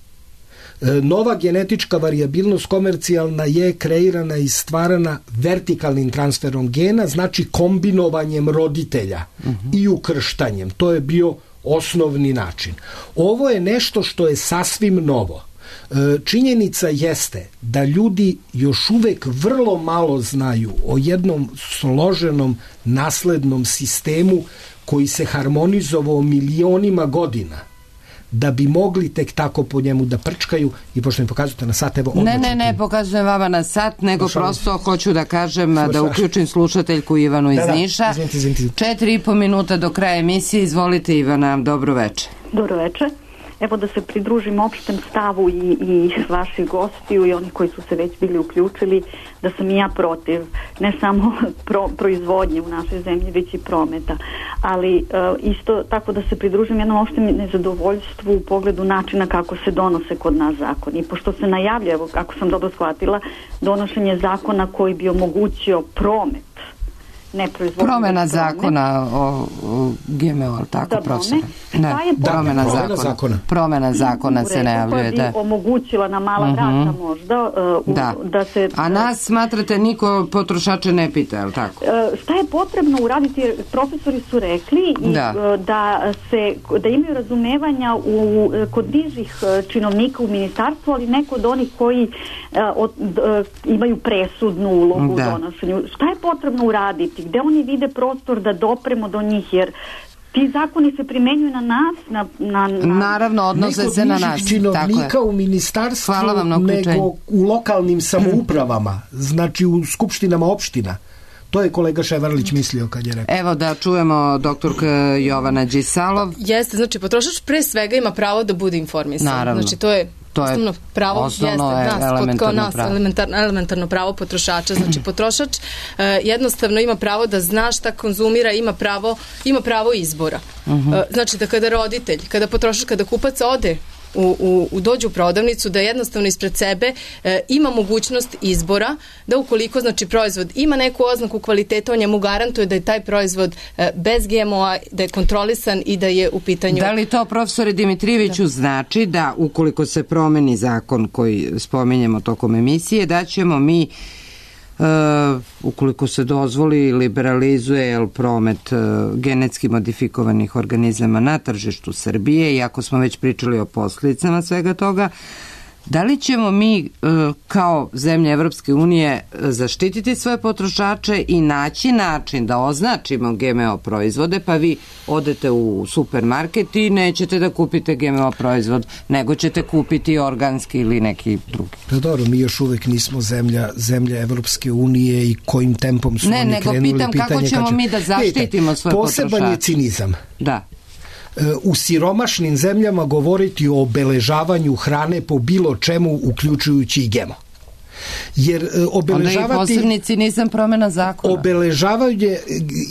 S4: Nova genetička varijabilnost komercijalna je kreirana i stvarana vertikalnim transferom gena, znači kombinovanjem roditelja uh-huh. i ukrštanjem. To je bio osnovni način. Ovo je nešto što je sasvim novo. Činjenica jeste da ljudi još uvek vrlo malo znaju o jednom složenom naslednom sistemu koji se harmonizovao milionima godina da bi mogli tek tako po njemu da prčkaju. I pošto mi pokazujete na sat, evo
S3: ne, ne, ne pokazujem vama na sat, nego Došao prosto mi. hoću da kažem Svoj da uključim slušateljku Ivanu iz da, Niša. Da, izvinite, izvinite. Četiri i po minuta do kraja emisije. Izvolite, Ivana, dobro veče.
S14: Dobro veče. Evo da se pridružim opštem stavu i, i vaših gostiju i oni koji su se već bili uključili, da sam i ja protiv ne samo pro, proizvodnje u našoj zemlji, već i prometa. Ali e, isto tako da se pridružim jednom opštem nezadovoljstvu u pogledu načina kako se donose kod nas zakoni. Pošto se najavlja, evo kako sam dobro shvatila, donošenje zakona koji bi omogućio promet, ne proizvodnje.
S3: Promena zakona o, o G M O, tako da, profesor? Ne,
S4: da,
S3: promena
S4: da,
S3: zakona.
S4: zakona.
S3: Promena zakona se najavljuje.
S14: Da bi omogućila na mala vrata uh-huh. možda uh,
S3: da.
S14: da se...
S3: A nas smatrate niko potrošače ne pita, je li tako?
S14: Uh, šta je potrebno uraditi? Profesori su rekli i, da. Uh, da, se, da imaju razumevanja u, kod nižih činovnika u ministarstvu, ali neko od onih koji uh, od, uh, imaju presudnu ulogu da. u donošenju. Šta je potrebno uraditi? Gde oni vide prostor da dopremo do njih, jer ti zakoni se primenjuju na nas, na, na, na...
S3: Naravno, odnose se na nas.
S4: Činovnika u ministarstvu, nego u lokalnim samoupravama, znači u skupštinama opština. To je kolega Ševarlić mislio kad je rekao.
S3: Evo da čujemo doktorka Jovana Đisalov.
S2: Jeste, znači potrošač pre svega ima pravo da bude informisan.
S3: Naravno.
S2: Znači to je
S3: To je
S2: osnovno pravo,
S3: osnovno
S2: jeste,
S3: je
S2: nas,
S3: elementarno,
S2: nas
S3: pravo.
S2: Elementarno, elementarno pravo potrošača. Znači potrošač e, jednostavno ima pravo da zna šta konzumira, ima pravo, ima pravo izbora. Uh-huh. E, znači da kada roditelj, kada potrošač, kada kupac ode U, u, u dođu u prodavnicu, da jednostavno ispred sebe e, ima mogućnost izbora, da ukoliko znači proizvod ima neku oznaku kvaliteta, on njemu garantuje da je taj proizvod e, bez G M O-a, da je kontrolisan i da je u pitanju...
S3: Da li to, profesore Dimitrijeviću, da. znači da ukoliko se promeni zakon koji spominjemo tokom emisije, da ćemo mi Uh, ukoliko se dozvoli, liberalizuje jel, promet uh, genetski modifikovanih organizama na tržištu Srbije, i ako smo već pričali o posljedicama svega toga, da li ćemo mi uh, kao zemlje Evropske unije zaštititi svoje potrošače i naći način da označimo G M O proizvode, pa vi odete u supermarket i nećete da kupite G M O proizvod, nego ćete kupiti organski ili neki drugi.
S4: Pa dobro, mi još uvek nismo zemlja, zemlja Evropske unije i kojim tempom su
S3: ne,
S4: oni
S3: nego
S4: krenuli
S3: pitam
S4: pitanje...
S3: kako ćemo
S4: kad će...
S3: mi da zaštitimo svoje potrošače.
S4: Poseban je cinizam.
S3: Da.
S4: U siromašnim zemljama govoriti o obeležavanju hrane po bilo čemu, uključujući i G M O. Jer obeležavati...
S3: Onda i posebni cinizam promena zakona.
S4: Obeležavanje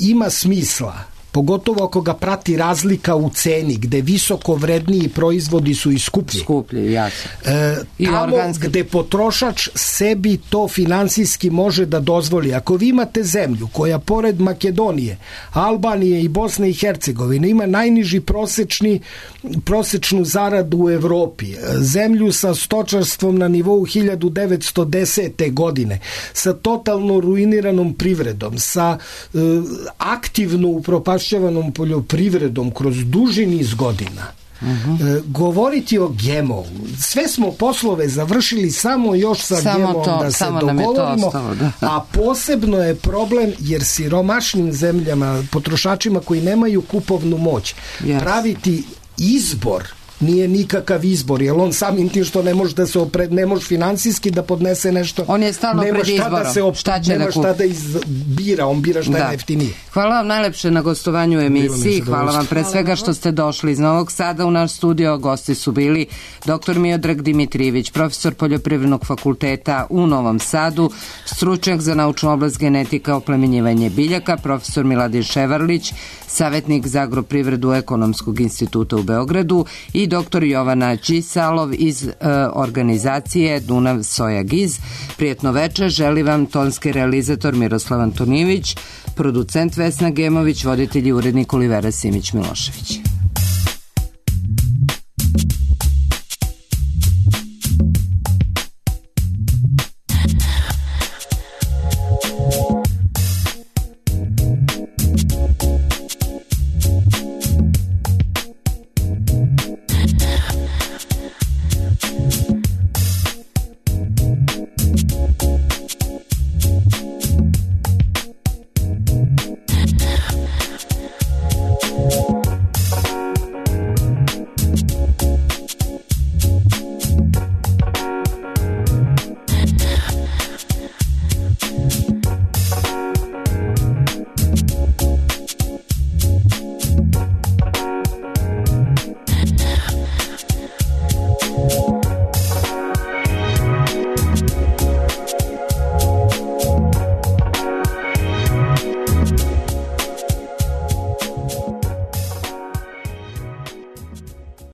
S4: ima smisla, pogotovo ako ga prati razlika u ceni, gde visoko vredniji proizvodi su i skuplji.
S3: Skuplji, jasno.
S4: E, tamo organski... gde potrošač sebi to finansijski može da dozvoli. Ako vi imate zemlju koja pored Makedonije, Albanije i Bosne i Hercegovine ima najniži prosečni, prosečnu zaradu u Evropi, zemlju sa stočarstvom na nivou hiljadu devetsto desete. godine, sa totalno ruiniranom privredom, sa e, aktivno upropašćavanom poljoprivredom kroz duži niz godina. Uh-huh. E, govoriti o G M O, sve smo poslove završili samo još sa samo G M O to, da se dogovorimo, ostalo, da. A posebno je problem jer siromašnim zemljama, potrošačima koji nemaju kupovnu moć, yes. praviti izbor nije nikakav izbor, jer on samim tim što ne može da se opred, ne može finansijski da podnese nešto,
S3: on je stalno pred izborom,
S4: da se op, šta će nema da šta da izbira, on bira šta da. je najjeftinije.
S3: Hvala vam najlepše na gostovanju u emisiji, hvala vam pre svega što ste došli iz Novog Sada u naš studio. Gosti su bili doktor Miodrag Dimitrijević, profesor Poljoprivrednog fakulteta u Novom Sadu, stručnjak za naučnu oblast genetika, oplemenjivanje biljaka, profesor Miladin Ševarlić, savjetnik za agroprivredu Ekonomskog instituta u Beogradu, i doktor Jovana Đisalov iz e, organizacije Dunav Soja Giz. Prijetno večer, želi vam tonski realizator Miroslav Antonijević, producent Vesna Gemović, voditelj i urednik Olivera Simić Milošević.